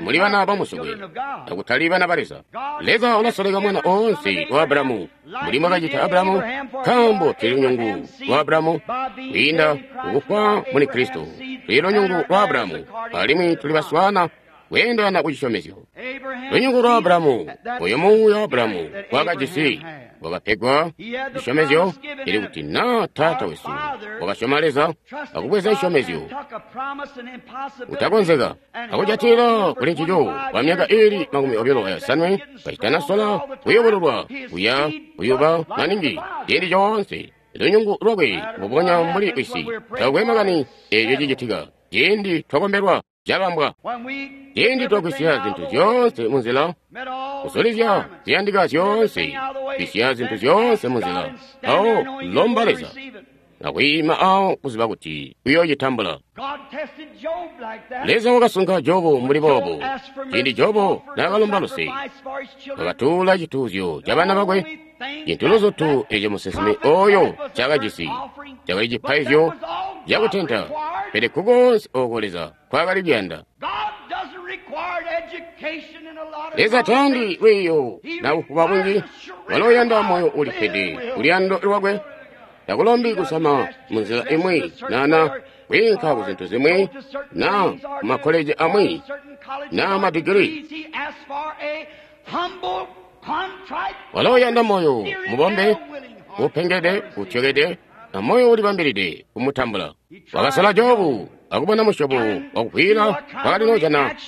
muli bana bamusokwe akutali bana ba Leza. Leza ulasoleka mwana oonse wa Abulahamu, mbuli mwakacita Abulahamu, nkaambo tuli lunyungu lwa Abulahamu kwiinda kukufwa muli Kristo. Tuli lunyungu lwa Abulahamu alimwi tuli baswaana kweendelana ku cisyomezyo. Lunyungu lwa Abulahamu, oyo muuya wa Abulahamu wakajisi, wakapegwa cisyomezyo, ili kuti naa taata wesu wakasyoma Leza akubweza cisyomezyo kutakonzeka akujatilila kuli ncico kwa myaka iili makumi obilo ayosanwe kacitanasola kuyobololwa kuya kuyuba maningi ciindi coonse. Lunyungu lwakwe mbubonya mbuli wisi, takwe makani eeco cicitika ciindi twakombelwa cabambwa, ciindi twagwisya zintu zyoonse munzila, kusolezya ziyandika zyoonse, gwisya zintu zyoonse munzila, mpawo lomba Leza akwiima awo kuziba kuti uyoocitambula. Leza wakasunka Jobu mbuli boobo. Ciindi Jobu naakalomba luse, wakatuula cituuzyo cabana bakwe, cintu luzutu eeco musinsimi ooyo ncaakajisi cakali cipaizyo cakutenta, pele kukoonse ooko Leza nkwaakali kuyanda. Leza tayandi lwiiyo na bufuba bunji, walo uyanda moyo ulippede kuluyando lwakwe. Takulombi kusama munzila imwi nana kwiinka ku zintu zimwi na kumakkoleji amwi na madigiri. Walo uyanda moyo mubombe, upengede, utyokede, na moyo ulibambilide kumutambula. Wakasala Jobu akubona musyobo wakuvwiila wakali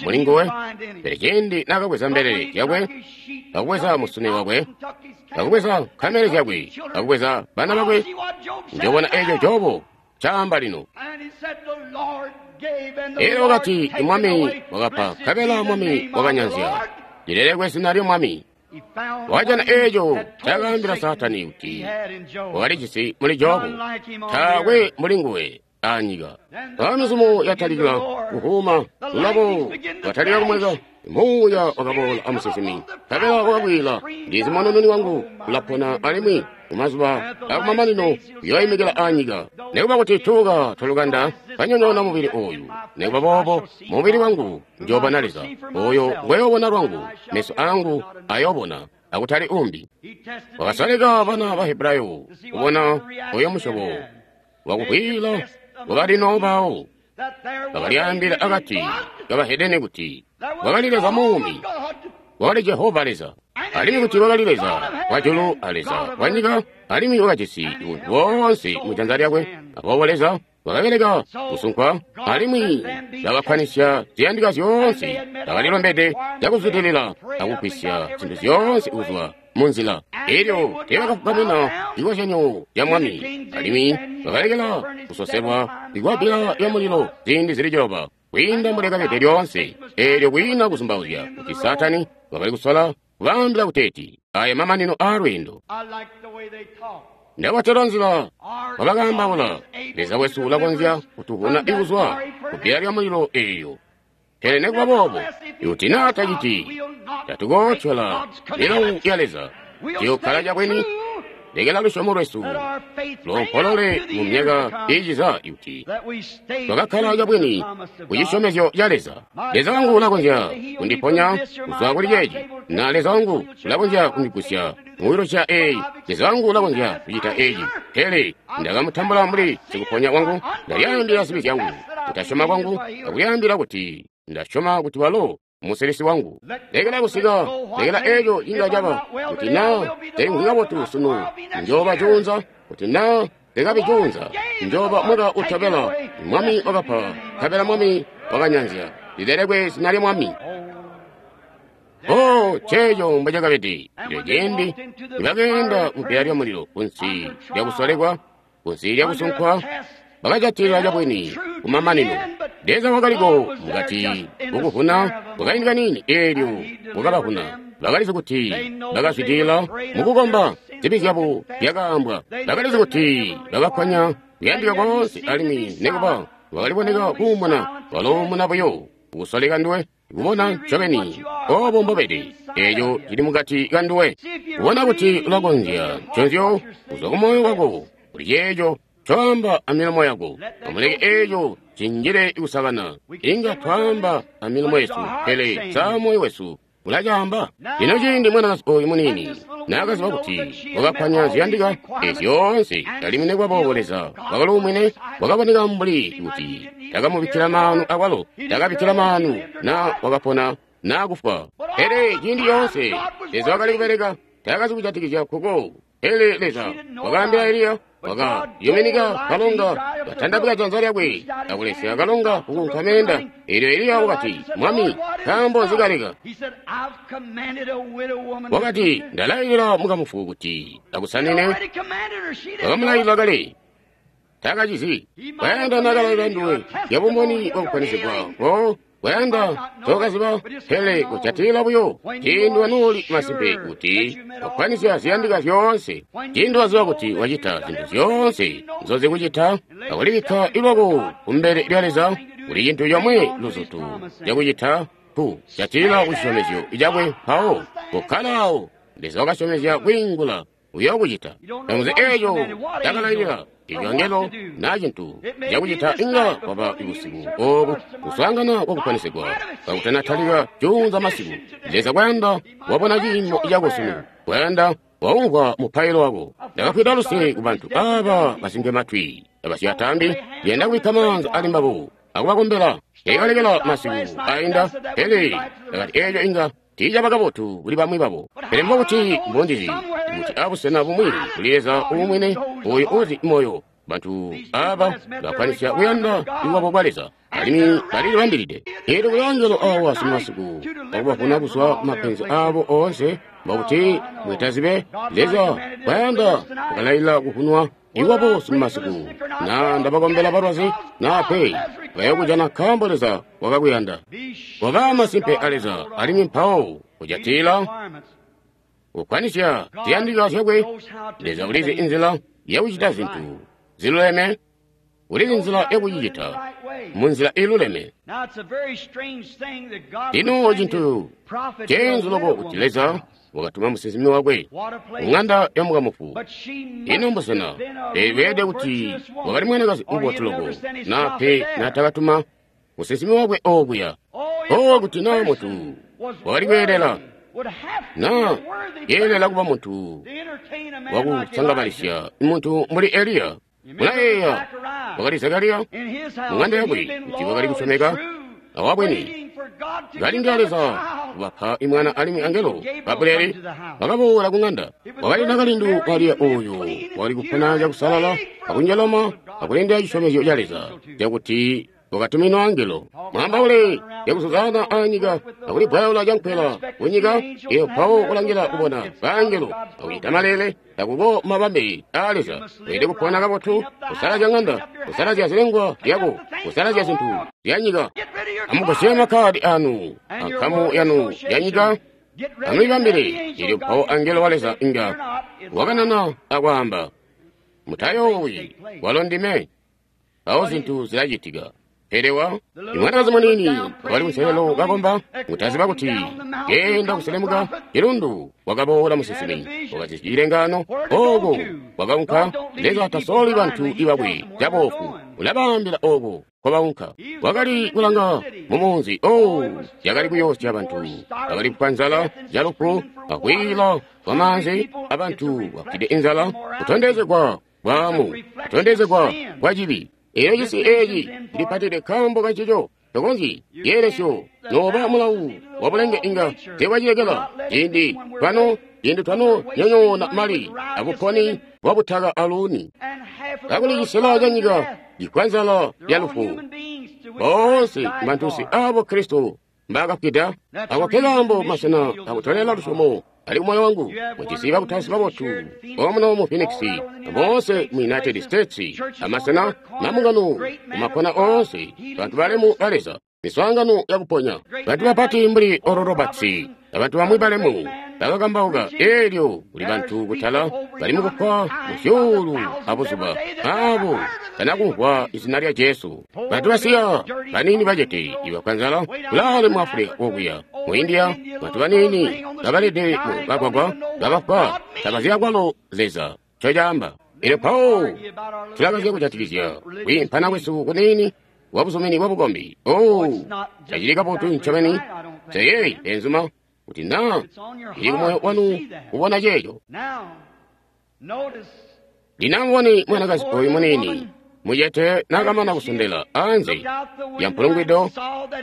muli nguwe. Pele ciindi naakabweza mbelele zyakwe, akubweza musune wakwe, akubweza nkamele zyakwe, akubweza bana bakwe, njoobona eeco Jobu caamba lino. Elyo wakati, Mwami wakapa, nkabela Mwami wakanyanzya. Lilelekwe zina lya Mwami. Wakajana eeco ncaakaambila Saatani kuti wakalijisi muli Jobu, taakwe muli nguwe anyika. Mpoonya yatalikila kuhuuma, lulabo lwatalika kumweka, muuya wakaboola amusinsimi, nkabela wakakwiila, ndizi munununi wangu ulapona alimwi mumazuba akumamanino uyooimikila anyika. Nikuba kuti tuuka twalukanda twanyonyoona mubili ooyu, nikuba boobo mubili wangu njoobona Leza, ooyo ngweyoobona lwangu, meso aangu ayoobona, akutali umbi. Wakasalika bana ba Hebrayo kubona oyo musyobo wakuvwiila wakali bawo. Bakalyaambila akati kabahedeni kuti wakali Leza muumi, wakali Jehova Leza, alimwi kuti wakali Leza wajulu a Leza wanyika, alimwi wakajisi buntu boonse mujanza lyakwe. Aboobo Leza wakabeleka kusunkwa, alimwi bakakkwanisya ziyandika zyoonse, bakalilombede cakuzwidilila akugwisya zintu zyoonse kuzwa munzila. Elyo teebakafugамina cikozyanyo ca Mwami, alimwi bakalekela kusoselwa ikwabila lyamulilo ziindi zili ciloba kwiinda mbulyakabede lyoonse. Eelyo kwiina kuzumbauzya kuti Saatani wakali kusola kubaambila kuteeti aya mamanino aalweendo. Ndabatela nzila wabakaambaula, Leza wesu ulakonzya kutuvuna ikuzwa kubbila lyamulilo eelyo. Pele nikuba boobo, ikuti naa taciti, tatukootyola milawo ya Leza. Tuyookkala cabwini, lekela lusyomo lwesu loompolole mu myaka iiciza kuti twakakkala cabwini ku cisyomezyo ca Leza. Leza wangu ulakonzya kundiponya kuzwa kuli ceeci, na Leza wangu ulakonzya kundigusya muwiluca eeyi. Leza wangu ulakonzya kucita eeci. Pele ndakamutambula mbuli sikuponya wangu, ndalyaambila zibi zyangu, kutasyoma kwangu, akulyaambila kuti ndasyoma kuti walo musilisi wangu. Lekela kusika, lekela eeco inga caba, kuti naa telimvwi kabotu sunu, njooba juunza, kuti naa tekabi juunza, njooba mwaka utobela. Mwami wakapa, nkabela Mwami wakanyanzya. Lilelekwe zina lya Mwami. Oh, ceeco mbocakabede. Elyo ciindi nibakeenda mubbila lyamulilo kunsi lyakusolekwa, kunsi lyakusunkwa, bakajatilila cabwini kumamanino. Leza wakaliko mukati kukuvuna kwakaindi kaniini, eelyo wakabavuna. Bakalizi kuti bakazwidilila mukukomba, zibi zyabo zyakaambwa. Bakalizi kuti bakakkwanya kuyandika koonse, alimwi nikuba wakaliboneka kuumuna, waloomuna buyo kusoleka nduwe kubona ncobeni oobo mbobede, eeco cili mukati kanduwe, kubona kuti ulakonzya nconzyo kuzwa kumoyo wako kuli ceeco coamba amilomo yako. Amuleke eeco cinjile kusakana. Inga twaamba amilomo yesu, pele sa moyo wesu ulacaamba? Lino ciindi mwanakazi ooyu muniini naakaziba kuti wakakkwanya ziyandika eezi zyoonse, alimwi nikuba boobo Leza wakaluumwine, wakaboneka mbuli kuti takamubikkila maanu akwalo, takabikkila maanu naa wakapona naa kufwa. Pele ciindi yoonse Leza wakali kubeleka, taakazi kujatikizya kuko. Pele Leza wakaambila Eliya, wakayuminika kalonga, katandabika janza lyakwe akulesya kalonga kukunka meenda. Eelyo Eliya wakati, Mwami, nkaambo nzikaleka? Wakati, ndalailila mukamufu kuti akusanine. Wakamulailila kale, taakacizi. Kwayanda naakalailila nduwe yabumboni bwakukwanisibwa ko kwayanda tookaziba, pele kujatilila buyo ciindi wanuuli masimpe kuti wakwanisya ziyandika zyoonse. Ciindi waziba kuti wacita zintu zyoonse nzozikucita, akulibikka ilwako kumbele lya Leza, kuli cintu comwe luzutu cakucita, ku jatilila kucisyomezyo cakwe, mpawo kukkala awo. Leza wakasyomezya kwiingula, uyookucita. Tamuzi eeco cakalailila eco angelo naa cintu cakucita inga kwaba busiku oobu kuswaangana kwakupanisigwa kakutanatalika juunza masiku. Leza kwayanda wabona ciimo cako sunu, kwayanda waumvwa mupailo wako. Ndakafwida luse ku bantu aaba basinke matwi abasyatambi, ndiyanda kubikka maanza ali mbabo akubakombela. Teekalekela masiku ainda, pele ndakati eeco inga Tiicaba kabotu kuli bamwi babo. Pele mbokuti mbondizi kuti abusena bumwi kuli Leza uumwine oyo uzi moyo. Bantu aba bakwanisya kuyanda iwabo kwa Leza alimwi balilibambilide. Eelyo kuli angelo awa simasiku wakubavuna kuzwa mapenzi abo oonse, mbokuti mwetazibe Leza kwayanda wakalailila kuvunwa iwabo simasiku. Na ndabakombela balwazi na pe bayokujana nkaambo Leza wakakuyanda. Waba masimpe a Leza alimwi mpawo kujatila kukwanisya ziyandika zyakwe. Leza ulizi inzila yakucita zintu ziluleme, ulizi nzila yakucicita munzila iluleme. Lino cintu ceenzu loko kuti Leza wakatuma musinsimi wakwe kung'anda ya mukamufu. Ino mbusena beelede kuti wakali mwanakazi ubotu loko, na pe natakatuma musinsimi wakwe okuya. O kuti na muntu wakali kweelela, na yeelela kuba muntu wakusangabalisya muntu mbuli Eliya. Mulayeeya wakali Zakariya mung'anda yakwe kuti wakali kusyomeka awabwene kalindila Leza kubapa imwana alimwi angelo Gabrieli wakaboola kung'anda. Wakali nakalindu Mariya oyo wakali kupona cakusalala akunjalama akulindila cisyomezyo ca Leza cakuti wakatuminwa angelo. Mwambaule yakuzuzana anyika akulibwaula cankwela kunyika iyo mpawo kulangila kubona baangelo akucita malele takuko mabambe a Leza. Weelede kupona kabotu, kusalazya ng'anda, kusalazya zilengwa lyako, kusalazya zintu zyanyika. Amugusye makkadi anu ankamu yanu yanyika, amulibambile. Eelyo mpawo angelo wa Leza inga wakanana akwaamba, mutayoowi, walo ndime. Mpawo zintu zilacitika. Pele wa imwanakazi munini wakali kunselelo kakomba, mutaziba kuti genda kuselemuka cilundu wakaboola musinsimi wakati cilengano oko wakaunka. Leza tasoli bantu ibakwe caboofu, ulabaambila oko kwabaunka. Wakali kulanga mumunzi o yakali kuyoosya bantu, bakali kupa nzala yalufu akwiila kwamaanzi abantu bafwide inzala, kutondezegwa bwaamu, kutondezegwa kwa cibi. Eyo cisi eeci cilipatide nkaambo kancico. Tokonzyi yeelesyo noba mulawu wabulenge inga teewacilekela. Ciindi twano ciindi twano nyonyoona mali abuponi bwabutaka aluuni, kakuli cisela canyika cifwa nzala ya lufu. Boonse bantusi abo Kristo mbaakafwida. Ako nkekaambo masena akutolela lusyomo ali kumoyo wangu. Mujisi bakutausi babotu omuno mu Phoenix, boonse mu United States, amasena mambungano kumakkona oonse, bantu balemu ba Leza, miswaangano yakuponya, bantu bapati mbuli Oral Roberts abantu bamwi balemu bakakambauka. Eelyo kuli bantu kutala bali mukufwa muzyuulu abuzuba abo tanakumvwa izina lya Jesu. Bantu basiya banini bacete ibafwa nzala kulaale mu Afulika okuya mu India, bantu banini babalede mu kagwagwa babafwa tabazi akwalo Leza ncocaamba. Eelyo mpawo tulakazya kujatikizya kwiimpana kwesu kuniini wabuzumini bwabukombi. Oh, tacili kabotu ncobeni. Teyeeyi benzuma kuti na ili kumoyo wanu kubona ceeco. Lino mwanakazi oyu munini mucete nakamana kusondela anze ya mpulungwido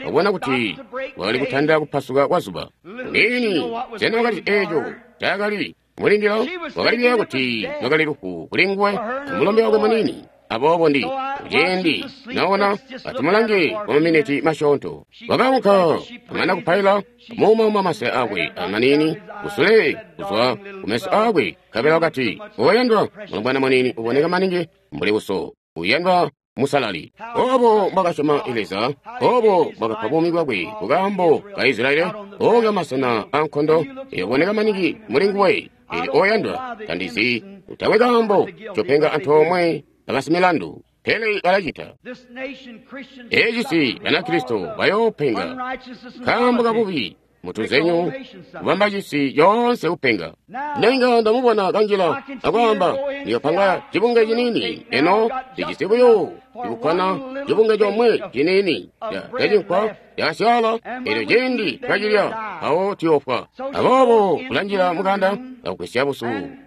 wabona kuti wakali kutandila kupasuka kwa zuba. Munini sena wakati eeco cakali mulindila wakali kuyeeya kuti lwakali lufu kuli nguwe amulombe wakwe munini. Aboobo ndi kuciindi naona atumulange kwa maminiti masyoonto. Wakaunka amana kupaila muumauma masaya akwe amanini kusule kuzwa kumeso akwe, nkabela wakati, oyandwa mulombwana munini uboneka maningi mbuli uso, uyandwa musalali. Obo mbwakasyoma Leza, obo mbwakapa buumi bwakwe kukaambo ka Israeli, oka masena ankondo eyoboneka maningi muli nguwe. Ili oyandwa tandizi utakwe kaambo copenga antoomwe abasimilandu, pele balacita. Ecisi Banakristo bayoopenga nkaambo kabubi mutunzenyu kubamba cisi yoonse kupenga. Nenga ndamubona kanjila akwaamba, ndiyopanga cibunge cinini eno ndijisi buyo ikukkwana cibunge comwe cinini cacinkwa cakasyaala, elyo ciindi twacilya mpawo tuyoofwa. Aboobo kulanjila mukanda akugwisya busu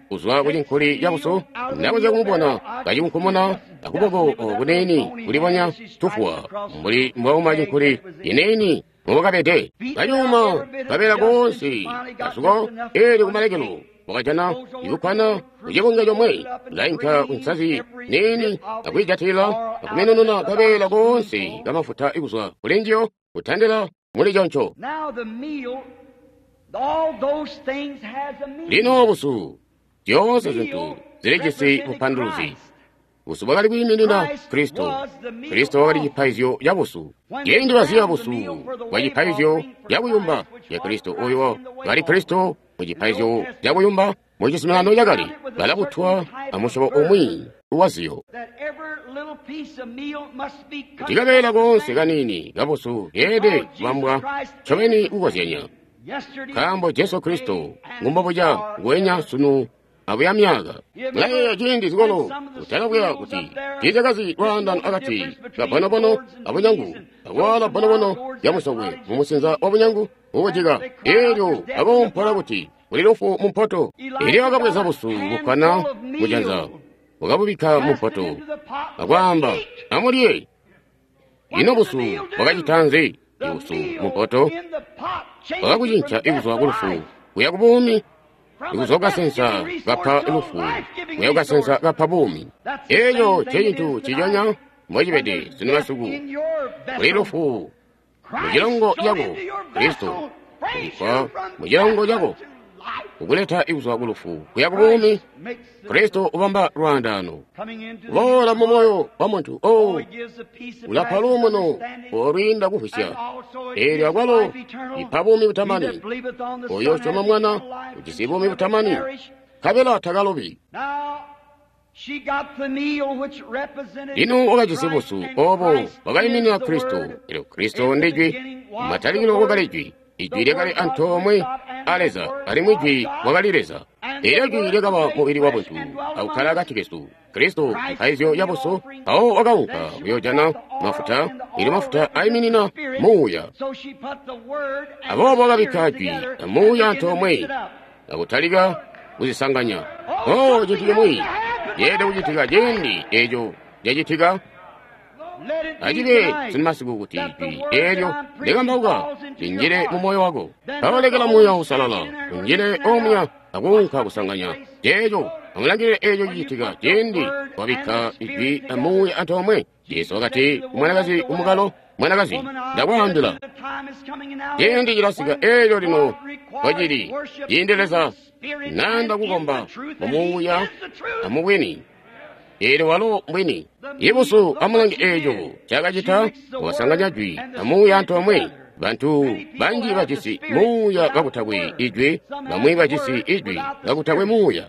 kuzwa kucinkuli cabusu, ndakonzya kumubona kacikunkumuna akuboko kuniini kulibonya tufuwa mbuli mbwauma cinkuli ciniini mobakabede. Kanyuma kabeela koonse kasuko, eelyo kumalekelo wakajana ikukkwana kucibunge comwe, lainka kunsazi niini akwiijatila akumenununa kabeela koonse kamafuta kuzwa kulinjiyo kutandila muli conco. Lino busu, zyoonse zintu zilijisi bupanduluzi. Busu bwakali kwiiminina Kristo. Kristo wakali cipaizyo ca busu. Ciindi baziya busu bwa cipaizyo cakuyumba ca Kristo, oyo kali Kristo mu cipaizyo cakuyumba mu cizuminano cakale, balabutwa amusyobo umwi waziyo. Kuti kabeela koonse kaniini kabusu keelede kubambwa ncobeni kukozyanya, nkaambo Jesu Kristo ngumbobuca nguwenya sunu abuya myaka. Mulayeeya ciindi zikolo kutalabwera kuti tiizyakazi lwaandano akati ka bonobono abunyangu, akuwaala bonobono yamusokwe mumusinza wa bunyangu ukujika, eelyo akoompola kuti kuli lufu mu mpoto. Elyo wakabweza busu bukkwana mujanza, wakabubikka mu mpoto akwaamba, amulye. Ino busu bwakacita nzi? Ibusu mu mpoto bwakakucinca ikuzwa ku lufu kuya ku buumi, ikuzwa kukasensa kapa lufu kuya kukasensa kapa buumi. Eeco ncecintu ciconya mbocibede sunu masiku. Kuli lufu mu cilongo cako, Kristo kubikkwa mu cilongo cako kukuleta ikuzwa ku lufu kuya ku buumi. Kristo ubamba lwaandano uboola mu moyo wa muntu. O ulapa luumuno olwiinda kuvwisya, eelyo akwalo ipa buumi butamani. Oyo usyoma Mwana ujisi buumi butamani, nkabela takalobi. Lino wakajisi busu obo bwakaiminina Kristo. Elyo Kristo ndi Jwi. Matalikilo kwakali Jwi. Ijwi lyakali antoomwe a Leza, alimwi Jwi wakali Leza. Eelyo Jwi lyakaba mubili wa buntu akukkala akati kesu. Kristo cipaizyo ca busu, mpawo wakaunka kuyoojana mafuta, eelyo mafuta aiminina Muuya. Aboobo wakabikka Jwi a Muuya antoomwe akutalika kuzisanganya. Oh, cintu cimwi ceelede kucitika ciindi eeco cacitika. Acibe sinmasiku kuti Jwi eelyo likambauka linjile mu moyo wako. Mpawo lekela Muuya Uusalala unjile omuya akuunka kusanganya ceeco. Amulangilile eeco cicitika ciindi wabikka Ijwi a Muuya antoomwe. Jesu wakati ku mwanakazi kumukalo, mwanakazi, ndakwaambila, ciindi cilasika eelyo lino kwacili ciindi Leza nanda kukomba mu Muuya amubwini. Eelyo walo mbwini. Ibusu amulange eeco cakacita, wakasanganya Jwi a Muuya antoomwe. Bantu banji bajisi Muuya kakutakwe Ijwi, bamwi bajisi Ijwi kakutakwe Muuya.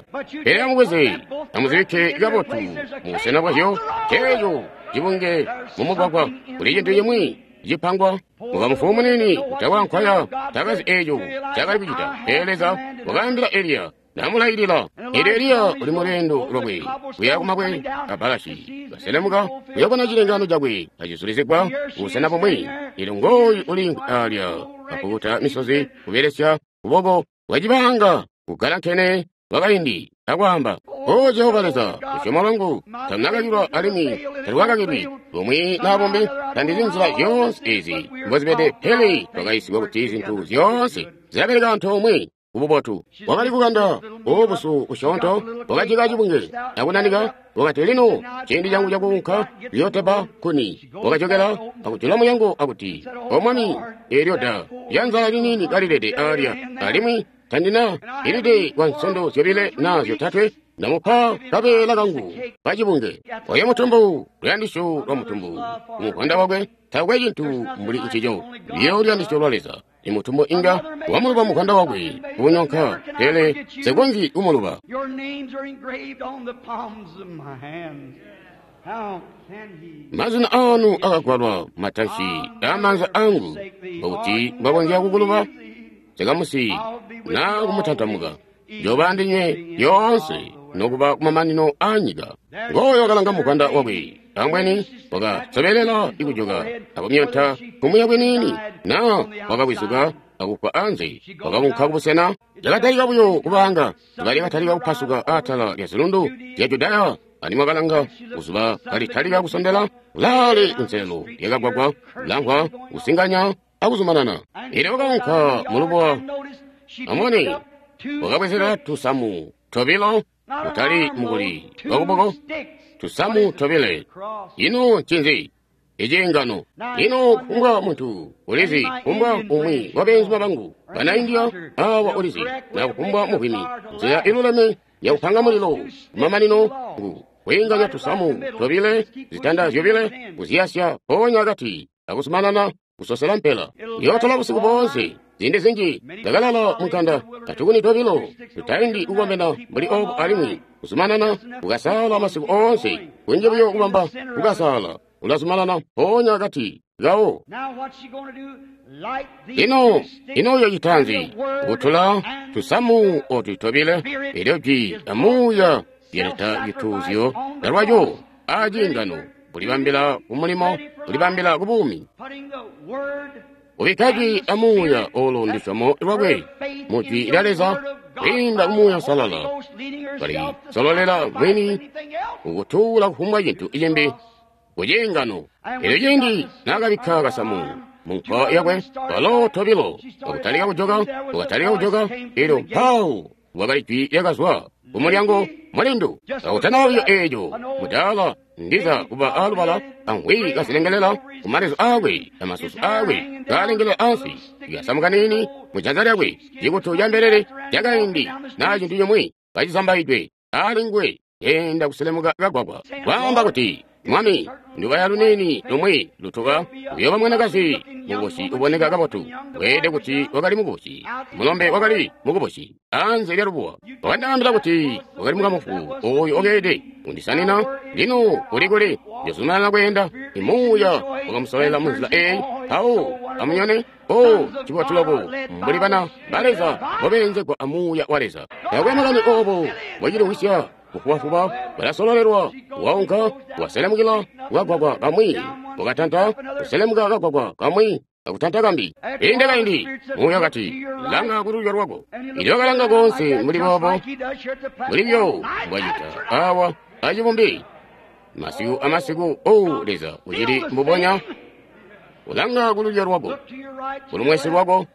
Pele amubweze amuzibikke kabotu mu busena bwazyo, ceeco cibunge mumugwagwa. Kuli cintu cimwi cipangwa. Mukamufu munini utakwa nkwaya takazi eeco cakali kucita. Pele Leza wakaambila Eliya namulailila. Eelyo Eliya uli mulweendo lwakwe kuya kumabwe a Balashi, kaselemuka kuyobona cilengano cakwe acizulizigwa kubusena bumwi. Eelyo ngooyu uli alya kapukuta misozi kubelesya kuboko kwacibanga kugalankene kwakaindi akwaamba, O Jehova Leza, lusyomo lwangu talunakakilwa alimwi talwakakilwi bumwi naa bumbi. Tandizi nzila zyoonse ezi mbozibede, pele twakaisigwa kuti zintu zyoonse zilabeleka antoomwe kububotu. Wakali kukanda obusu busyoonto, wakajika cibunge akunanika. Wakati, lino ciindi cangu cakuunka kuyootebba nkuni. Wakajokela akujula mulyango akuti, O Mwami, eelyo da lyanzala liniini kalilede alya, alimwi tandina ilide kwa nsondo zyobile naa zyotatwe. Ndamupa kabeela kangu kacibunge. Oyo mutumbu, luyandisyo lwa mutumbu kumuvwanda wakwe, takwe cintu mbuli ncico. Biyo luyandisyo lwa Leza. Imutumbu inga wamuluba muvwanda wakwe kunyonka, pele sikonzyi kumuluba. Mazina aanu akagwalwa matansi aamaanza angu, kuti mbakonzya kukuluba sikamusi naa kumutantamuka. Njoba andinywe lyoonse nokuba kumamanino aanyika. Ngooyo wakalanga muvwanda wakwe, ambweni wakasobelela ikujoka akumyonta kumuya kwiniini, naa wakawizuka akufwa anze. Wakaunka kubusena cakatalika buyo kubanga zuba lyakatalika kupasuka atala lya zilundu zya Judaya, alimwi wakalanga kuzuba kalitalika kusondela kulaale kunselelo lyakagwagwa lamvwa kusinganya akuzumanana. Elyo wakaunka mulubuwa, amubone, wakabwezela tusamu tobilo, kutali mukuli wakuboko, tusamu tobile. Ino ncinzi? Iciingano. Ino kufumbwa muntu ulizi, kufumbwa umwi wa beenzuma bangu bana India awa ulizi, na kufumbwa muvwimi, nzila iluleme yakupanga mulilo kumamanino ngu kwiinganya tusamu tobile, zitanda zyobile, kuziyasya mpoonya akati, akuzumanana kusosela mpela. Yootola busiku boonse. Ziindi zinji ndakalala munkanda katukuni tobilo tutaindi kukomena mbuli obu, alimwi kuzumanana kukasaala masiku oonse, kunji buyo kubamba kukasaala, ulazumanana mpoonya akati kawo. Ino ino uyo citanzi kutula tusamu otu tobile, elyo jwi amuuya lyaleta cituuzyo lwaco aciingano, kulibambila kumulimo, kulibambila kubuumi. Ubikka jwi amuuya olo ndusyomo lwakwe mu jwi lya Leza kwiinda kumuuya salala, kali sololela mwini kukutuula kufumbwa cintu cimbi kuciingano. Elyo ciindi naakabikka kasamu munkwa yakwe, walo tobilo wakatalika kujoka, wakatalika kujoka, elyo mpawo wakali jwi lyakazwa kumulyango mulindu. Kakutana buyo eeco, mudaala ndiza kuba alubala angwi kazilengelela kumalezu aakwe amasusu aakwe kaalengelela ansi, kasamu kaniini mujanza lyakwe, cikutu ca mbelele cakaindi naa cintu cimwi kacizambaidwe ali nguwe, enda kuselemuka kagwagwa, kwaamba kuti, Mwami, ndubaya luniini lumwi lutuka, uyooba mwanakazi mukubusi uboneka kabotu. Weelede kuti wakali mukubusi, mulombe wakali mukubusi anze lya lubuwa. Wakandaambila kuti wakali mukamufu oyo okeede undisanina. Lino kuli kuli njozumanana kweenda. Imuuya wakamusolela munzila eyi, mpawo amunyone. O cibotu loko mbuli bana ba Leza bobeenzegwa amuuya wa Leza. Taakwe makani obo bwaciliwisya kufubafuba, balasololelwa, waunka waselemukila kukagwagwa kamwi, wakatanta kuselemuka kagwagwa kamwi akutanta kambi. Inde kaindi muuya kati, langa kululyo lwako. Ilyo wakalanga koonse mbuli boobo, mbuli byo mbwacita awa acibumbi masiku amasiku. O Leza ucili mbubonya. Ulanga kululyo lwako, kulumwesi lwako,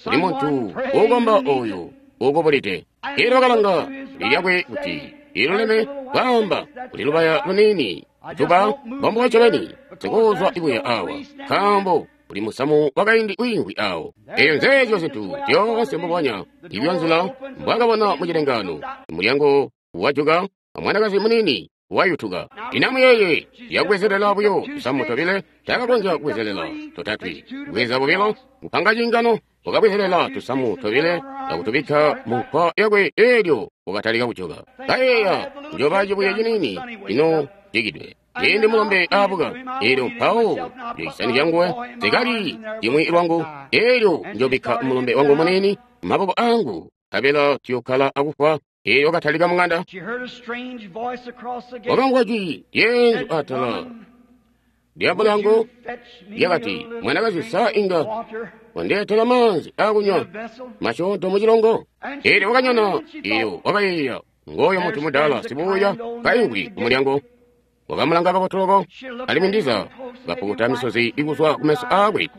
kuli muntu uukomba oyo uukubulide. Ilyo wakalanga lyakwe kuti iluleme, kwaamba kuli lubaya luniini tuba mbombo ncobeni sikuzwa ibuya awa, nkaambo kuli musamu wakaindi wiimvwi awo. Eyo nzeezyo zintu zyoonse mbubonya ibyo nzila mbwakabona mu cilengano. Mulyango wajuka, amwanakazi muniini wayutuka. Inamuyeeye yakubwezelela buyo tusamu tobile, takakonzya kubwezelela totatwe. Bweza bobilo, kupanga ciingano, wakabwezelela tusamu tobile akutubikka mu nkwa yakwe, elyo wakatalika kujoka. Kayeeya, njoba cibuye ciniini ino jikidwe. Ciindi mulombe aabuka, elyo mpawo njocisani canguwe zikali cimwi lwangu, elyo njobikka mulombe wangu muniini maboko angu, nkabela tuyokkala akufwa. Elyo wakatalika mung'anda, wakamvwa jwi lyeenzu atala lya mulyango lyakati, mwanakazi, sa inga wandeetela maanzi akunywa masyoonto mucilongo? Elyo wakanyona. Iyo wakayeeya, ngooyo muntu mudaala sibuuya kaimvwi kumulyango. Wakamulanga kabotu loko, alimwi ndiza kapukuta misozi ikuzwa kumeso aakwe.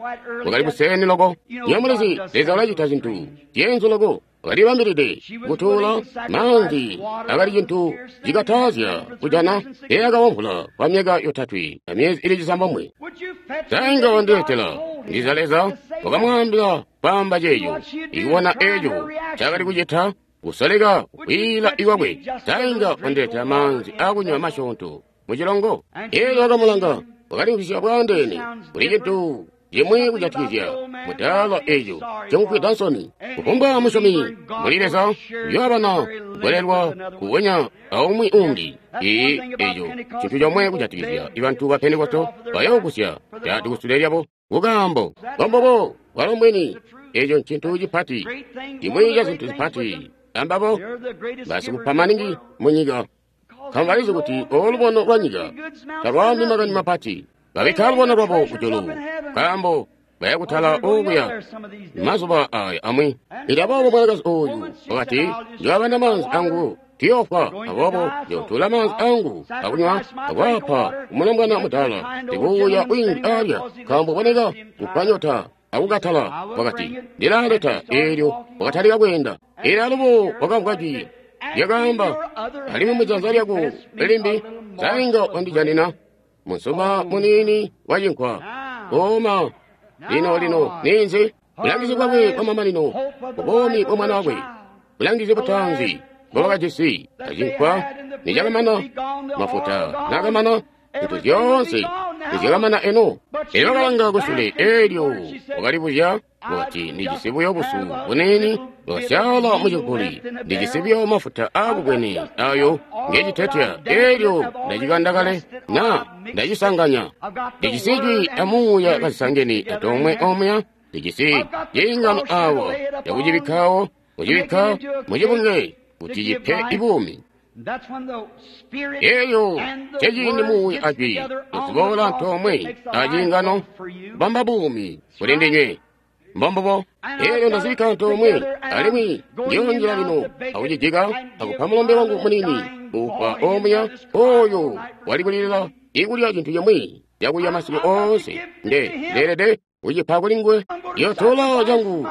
Wakali kuseeni loko. Nyamulizi, Leza ulacita zintu zyeenzu loko. Wakalibambilide kutuula maanzi akali cintu cikatazya kujana. Eyakawomvula kwa myaka yotatwe amyezi ili cisambomwe. Sainga wandeetela. Ndiza Leza wakamwaambila kwaamba ceeco, ikubona eeco cakali kucita, kusoleka kwiila ikwakwe. Sainga wandeetela maanzi akunywa masyoonto mucilongo. Elyo wakamulanga, wakalimvwisya bwaandeene kuli cintu cimwi kujatikizya mudaala eeco cimufwida nsoni. Kufumbwa musyomi muli Leza uyoobana kukwelelwa kubonya aumwi umbi. Ii eeco cintu comwe kujatikizya bantu ba Pentekosto, bayoogusya cati kusule lyabo kukaambo mbombobo bwalo mbwini. Eeco ncintu cipati, cimwi ca zintu zipati. Ambabo basikupa maningi munyika, nkaambo balizi kuti olubono lwa nyika talwaambi makani mapati. Babikka lubono lwabo kujulu, nkaambo baya kutala okuya mazuba aya amwi. Ili aboobo mwanakazi oyu wakati, njoabana maanzi angu tiyoofwa, aboobo njootula maanzi angu akunywa akwapa kumulombwana mudaala sikuuya wiimvwi alya, nkaambo boneka kupanyota. akukatala. Wakati, Ndilaleta. Eelyo wakatalika kweenda. Eelyo alubo wakamvwa jwi lyakaamba, alimwi mujanza lyako limbi sainga wandijanina munsuma muniini wa cinkwa. Oma lino lino ninzi bulangizi bwakwe bwamamanino bubomi bwa mwana wakwe, bulangizi butaanzi mbobakajisi acinkwa nicakamana, mafuta nakamana, zintu zyoonse nizyakamana eno. Elyo wakalanga kusule, eelyo wakalibuzya wakati, ndijisi buyo busu buniini bwasyaala mucinkuli, ndijisi buyo mafuta aakubwene ayo ngecitetya, eelyo ndacikanda kale na ndacisanganya. Ndijisi jwi amuuya kazisangene antoomwe omuya, ndijisi ciingano awa cakucibikkawo, kucibikka mucibunge kuti cipe ibuumi. Eyo ceciindi muuya ajwi noziboola antoomwe aciingano kubamba buumi kuli ndinywe. Mbombubo. Eelyo ndazibikka antoomwe, alimwi ndiyonjila lino akucijika akupa mulombe wangu muniini ufa omuya oyo wali kulilila ikulya cintu cimwi cakulya masiku oonse. Nde ndeelede kucipa kuli nguwe. Ndiyotola cangu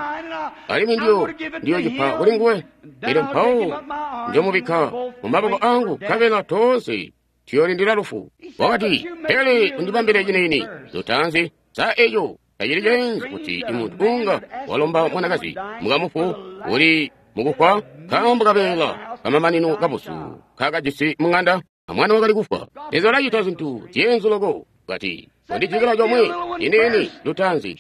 alimwi ndiyo ndiyocipa kuli nguwe. Elyo mpawo njomubikka mu maboko angu, nkabela toonse tuyolindila lufu. Wakati, pele undibambile ciniini lutaanzi. Sa eco tacili ceenzu kuti imuntu unga walomba mwanakazi mukamufu uli mukufwa nkaambo kabeela kamamanino kabusu kakajisi mung'anda amwana wakali kufwa? Leza ulacita zintu zyenzu loko. Kati, undijikila comwe ciniini lutaanzi.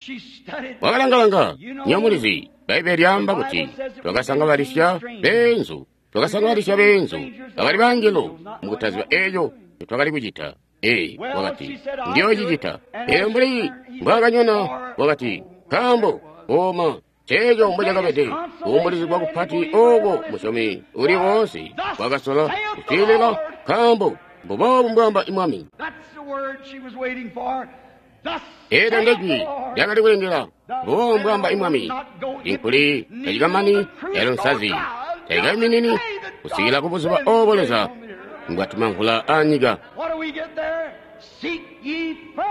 Wakalangalanga, nyomulizi Bbaibele lyaamba kuti twakasangabalisya beenzu, twakasangabalisya beenzu bakali bangelo mukutaziba eco twakali kucita. Ee, wakati, ndiyocicita. Elyo mbuli mbwaakanyona, wakati, nkaambo oma ceeco mbocakabede kuumbulizigwa kupati ooko musyomi uli woonse wakasola kuswiilila, nkaambo mbuboobu mbwaamba Mwami. Eelyo ndejwi lyakali kulindila, mbuboobu mbwaamba Mwami. Inkuli tacikamani, yalo nsazi tayikaiminini kusikila kubuzuba oobo Leza mbwatuma mvula anyika.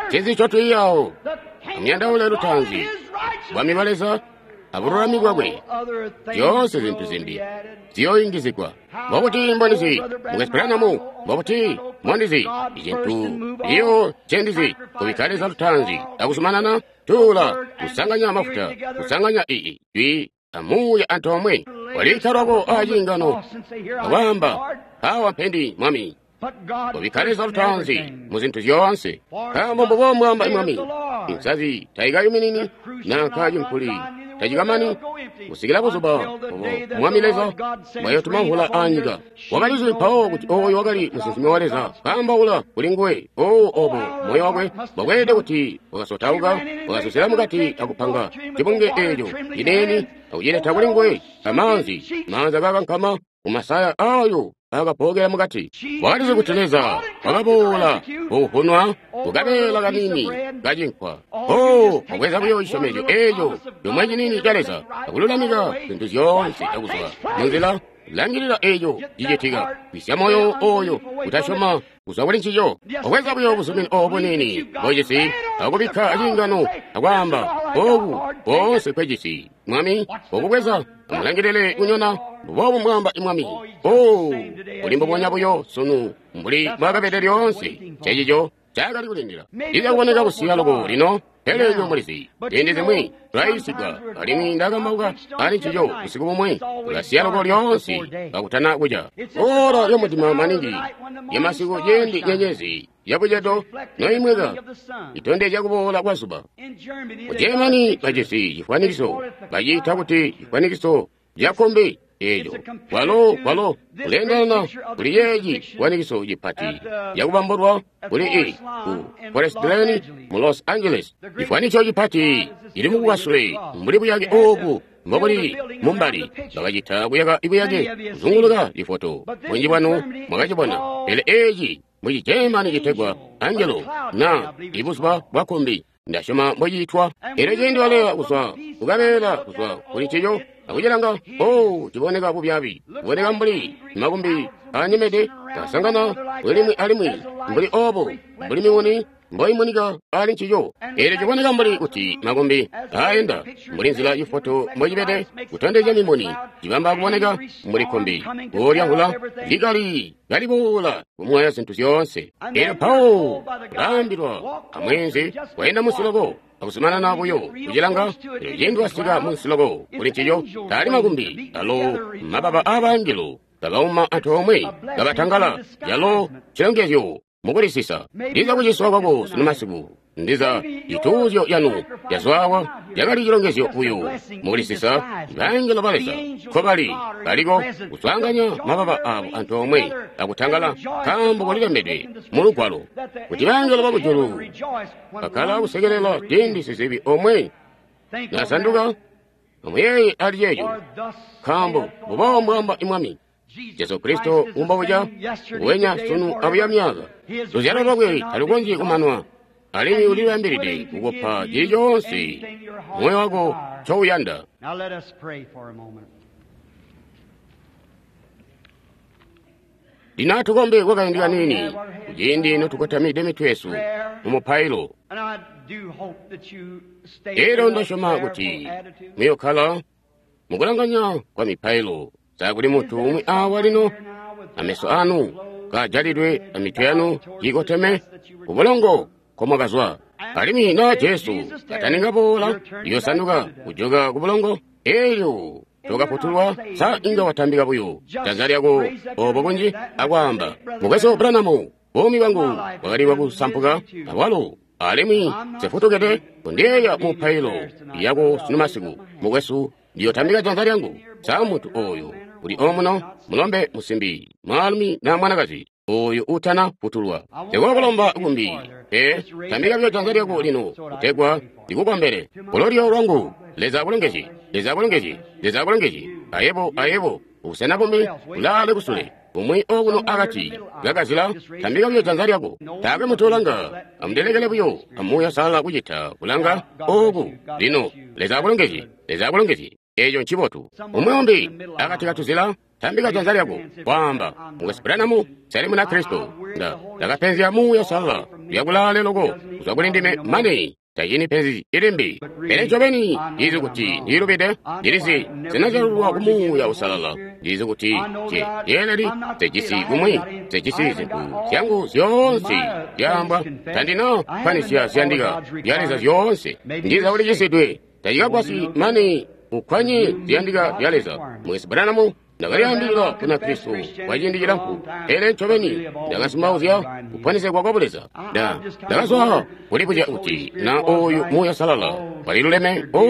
Ncinzi ncotwiiyawo? Amuyandaule lutaanzi bwami bwa Leza abululami bwakwe, zyoonse zintu zimbi ziyooyungizigwa. Mbobuti mbondizi mukesipulanamu? Mbobuti mbondizi icintu iyo ncendizi kubikka Leza lutaanzi akuzumanana tuula kusanganya mafuta kusanganya ii jwi amuuya antoomwe. Walibikka lwako aciingano akwaamba, awa mpendi Mwami. Kubikka Leza lutaanzi mu zintu zyoonse, nkaambo mbubo mbwaamba Mwami. Insazi tayikayuminini nanka cinkuli tacikamani kusikila buzuba obo Mwami Leza mbwayotuma mvula anyika. Wakalizi mpawo kuti oyo wakali musinsimi wa Leza kaambaula kuli nguwe. Oo, obo moyo wakwe bwakweelede kuti wakasotauka, wakasusila mukati akupanga cibunge eeco ciniini akucileta kuli nguwe amaanzi, maanzi akakankama mumasaya ayo akapokela mukati. Wakalizi kuti Leza wakaboola kuhunwa kukabeela kanini kacinkwa. Oh, wabweza buyo cisyomezyo eeco comwe ciniini ca Leza akululamika zintu zyoonse akuzwa munzila. Langilila eeco cicitika, kwisya moyo oyo kutasyoma kuzwa kuli ncico. Wabweza buyo buzumini obo buniini bojisi akubikka aciingano akwaamba, oku koonse kwejisi Mwami, okubweza amulangilile kunyona. Mbuboobu mbwaamba Mwami. Oh, uli mbubonya buyo sunu mbuli mbwaakabede lyoonse. Cecico cakali kulindila. Lizakuboneka kusiya loko lino, pele inywe mulizi ziindi zimwi tulayisigwa, alimwi ndakambauka ali ncico busiku bumwe. Tulasiya loko lyoonse kakutana kuca. Ora lyomudima maningi lyamasiku ciindi nyenyezi yabucedo noimweka itondezya kuboola kwa zuba. Ku Germany bajisi cifwanikiso baciita kuti cifwanikiso cakombi. Eeco kwalo kwalo kuleendelana kuli yeeci cifwanikiso cipati cakubambulwa kuli i ku Forest Glen mu Los Angeles. Cifwanikiso cipati cili mukukasule mbuli buyake oobu mbobuli mumbali. Bakacita kuyaka ibuyake kuzunguluka cifoto. Bunji bwanu mwakacibona. Pele eeci muci Germany citegwa Angelo na ibuzuba bwa kombi, ndasyoma mbociitwa. Elyo ciindi waleya kuzwa kukabeela kuzwa kuli ncico akucilanga, oh, ciboneka bubyabi, kuboneka mbuli makumbi anyemede kasangana kulimwi alimwi mbuli obo mbuli miuni mboimunika ali ncico. Eelyo ciboneka mbuli kuti makumbi aayenda mbuli nzila ifoto mbocibede kutondezya mimuni, cibamba kuboneka mbuli kkumbi kuulya mvula likali kaliboola kumwaya zintu zyoonse. Eelyo mpawo kulaambilwa amweenzi wayenda munsi loko akuzumanana buyo kucilanga. Eelyo ciindi wasika munsi loko kuli ncico, taali makumbi, alo mababa aabangelo kabauma antoomwe kabatangala, yalo cilongezyo mukulisisa. Ndiza kuciswa kwako sunu masiku, ndiza cituuzyo canu cazwawa cakali cilongezyo buyo mukulisisa. Bangelo ba Leza nkobali baliko kuswaanganya mababa abo antoomwe akutangala, nkaambo kulilembedwe mu Lugwalo kuti bangelo bakujulu bakkala kusekelela ciindi sizibi omwe nasanduka. Amuyeeye ali ceeco, nkaambo mbubo mbwaamba Mwami Jesu Kristo umbobuca nguwenya sunu abuya myaaka. Luzyalo lwakwe talukonzyi kumanwa, alimwi ulilibambilide kukupa cili coonse moyo wako ncouyanda. Now let us pray for a moment. Lino atukombe kwakaindi kaniini, kuciindi notukotamide mitwe yesu mu mupailo. And I do hope that you stay Elyo in that ndasyoma kuti prayerful attitude. muyokkala mukulanganya kwa mipailo. Sakuli muntu umwi awa lino ameso anu kajalidwe amitwe yanu yikoteme kubulongo komwakazwa. Alimwi na Jesu kataninga boola, yosanduka kujoka kubulongo, elyo tokafutulwa. Sa inga watambika buyo janza lyako obo kunji akwaamba, Mukwesu Branham, buumi bwangu bwakali bwakusampuka awalo, alimwi nsefutukide kundiyeeya mupailo yako sunu masiku. Mukwesu, ndiyotambika janza lyangu. Sa muntu oyo uli omuno, mulombe, musimbi, mwaalumi na mwanakazi oyo utana futulwa, ndikokulomba kumbi pe, tambika buyo janza lyako lino kutegwa ndikukombele. Kulolyo lwangu, Leza akulongezye, Leza akulongezye, Leza akulongezye. Ayebo, ayebo, ubusena bumbi ulaale kusule, bumwi okuno akati kakazila, tambika buyo janza lyako. Taakwe muntu ulanga, amundelekele buyo amuuya sala kucita kulanga oku. Lino Leza akulongezye, Leza akulongezye. Eeco ncibotu. Umwi umbi akati katuzila, tambika janza lyako, kwaamba, Mukwesu Branham, nseli muna Kristo. Nda ndakapenzya Muuya Uusalala lyakulaale loko kuzwa kuli ndime mane tacini penzi ilimbi. Pele ncobeni ndizi kuti ndilubide, ndilizi sinazyalulwa ku Muuya Uusalala. Ndizi kuti nce ndeeleli, nsejisi kumwi, nsejisi zintu zyangu zyoonse zyaambwa, tandina kkwanisya ziyandika zya Leza zyoonse. Ndiza ulicisidwe, tacikagwasyi mane ukkwanye ziyandika zya Leza. Mukwesu Branham, ndakalyaambilila kuna Kristo kwa ciindi cilamfu, pele ncobeni ndakasimauzya kuponesegwa kwa Buleza. Nda ndakazwa kulibuzya kuti na oyu Muuya Uusalala waliluleme. O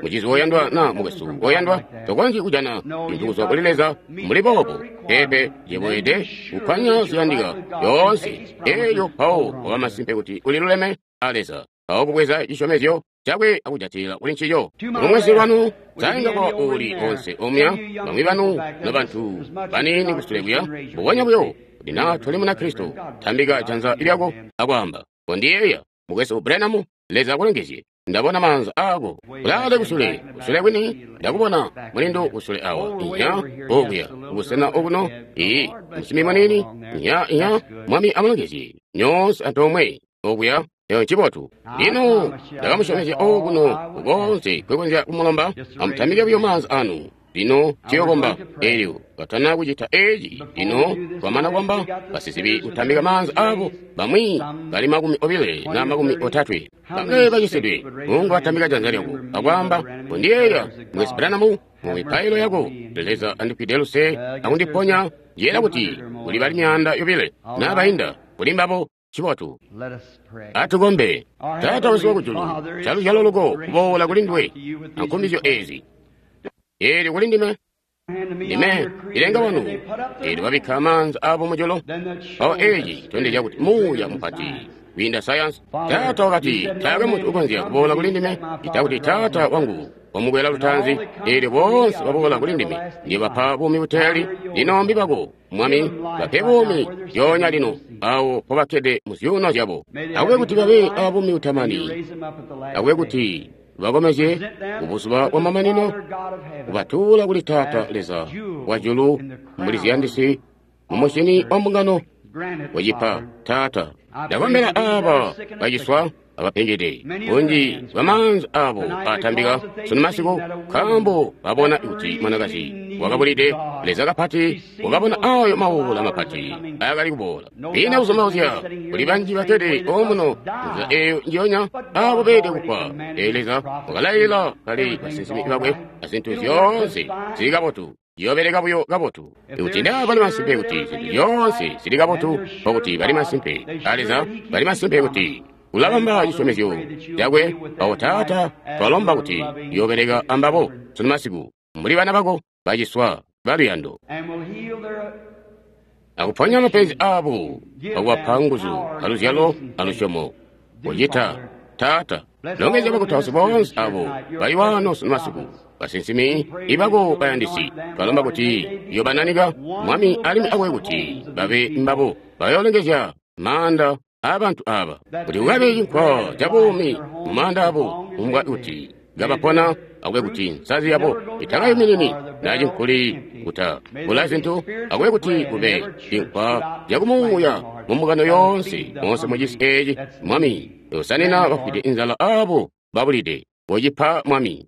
mucizi woyandwa na mukwesu woyandwa, tokonzyi kujana cintu kuzwa kuli Leza mbuli boobo. Peepe, yebo weelede kukkwanya ziyandika zyoonse. Elyo mpawo waba masimpe kuti uliluleme a Leza, mpawo kubweza cisyomezyo cakwe akujatilila kuli ncico. Lumwesi lwanu sainga kwa uli onse omya, bamwi banu nobantu baniini kusule kuya, mbubonya buyo kuti na toli muna Kristo, tambika janza lyako akwaamba, kondiyeeya Mukwesu Branham, Leza akulongezye. Ndabona maanza ako kulaale kusule, kusule kwini ndakubona mulindu kusule awa, inya okuya kubusena okuno, iyi musimbi muniini, inya inya. Mwami amulongezye nyoonse antoomwe okuya. Eyo ncibotu. Lino ndakamusyomezya okuno kukonse kwekonzya kumulomba, amutambike buyo maanza anu. Lino tuyokomba. Elyo katana kucita eci, lino twamana kwamba basizibi kutambika maanza abo, bamwi bali makumi obile na makumi otatwe bamwe bacisidwe. Mungu atambika janza lyako akwaamba, kondiyeeya Mukwesu Branham mu mipailo yako. Leza andifwide luse akundiponya. Njeera kuti kuli bali myaanda yobile na bainda kuli mbabo. Cibotu. Let us pray. Atukombe. Taata wesu wakujulu, caluzyalo loko kuboola kuli nduwe ankumbizyo ezi. Eelyo kuli ndime, ndime ilenga wanu, eelyo babikka maanza abo mujulu. Mpawo eci citondezya kuti Muuya mupati kwiinda sayansi. Taata wakati, taakwe muntu ukonzya kuboola kuli ndime ita kuti Taata wangu wamukwela lutaanzi. Eelyo boonse baboola kuli ndime ndiyobapa buumi buteeli. Lino mbibako, Mwami, bape buumi zyoonya lino awo mpobakkede mu zyuuno zyabo. Akube kuti babe abuumi butamani, Raise them up at the last akube day. kuti bakomezye kubuzuba bwa mamanino, kubatuula kuli Taata Leza wa julu mbuli ziyandisi mu musyini wa mbungano Grant it, wacipa Father. Taata. Ndakombela aaba baciswa abapengede, bunji bwa maanza abo atambika sunu masiku, nkaambo babona kuti mwanakazi wakabulide Leza kapati, wakabona ayo mawuula mapati akali kuboola. Ina kuzomauzya kuli banji bakkede omuno nzila eyo njiyonya abo beede kufwa. Ee Leza wakalailila kale basinsimi bakwe azintu zyoonse zili kabotu. Yoobeleka buyo kabotu. Ikuti naa bali masimpe kuti zintu zyoonse zili kabotu, nkokuti bali masimpe a Leza, bali masimpe kuti ulabamba cisyomezyo cakwe. Awo Taata, twalomba kuti yoobeleka ambabo sunu masiku mbuli bana bako baciswa baluyando, akuponya mapenzi abo, akubapa nguzu aluzyalo alusyomo. Kucita Taata, longezya bakutausi boonse abo bali wano sunu masiku, basinsimi ibako bayandisi. Twalomba kuti yobananika Mwami, alimwi akwe kuti babe mbabo bayoolongezya maanda abantu aba, kuti kukabe cinkwa ca buumi mu maanda abo, umbwa kuti ngabapona, akube kuti nsazi yabo itakayuminini na cinkuli kuta bula zintu, akube kuti kube cinkwa cakumuuya mu mbungano yoonse moonse mucisi eeci. Mwami, yosanina bafwide inzala abo babulide. Wocipa Mwami,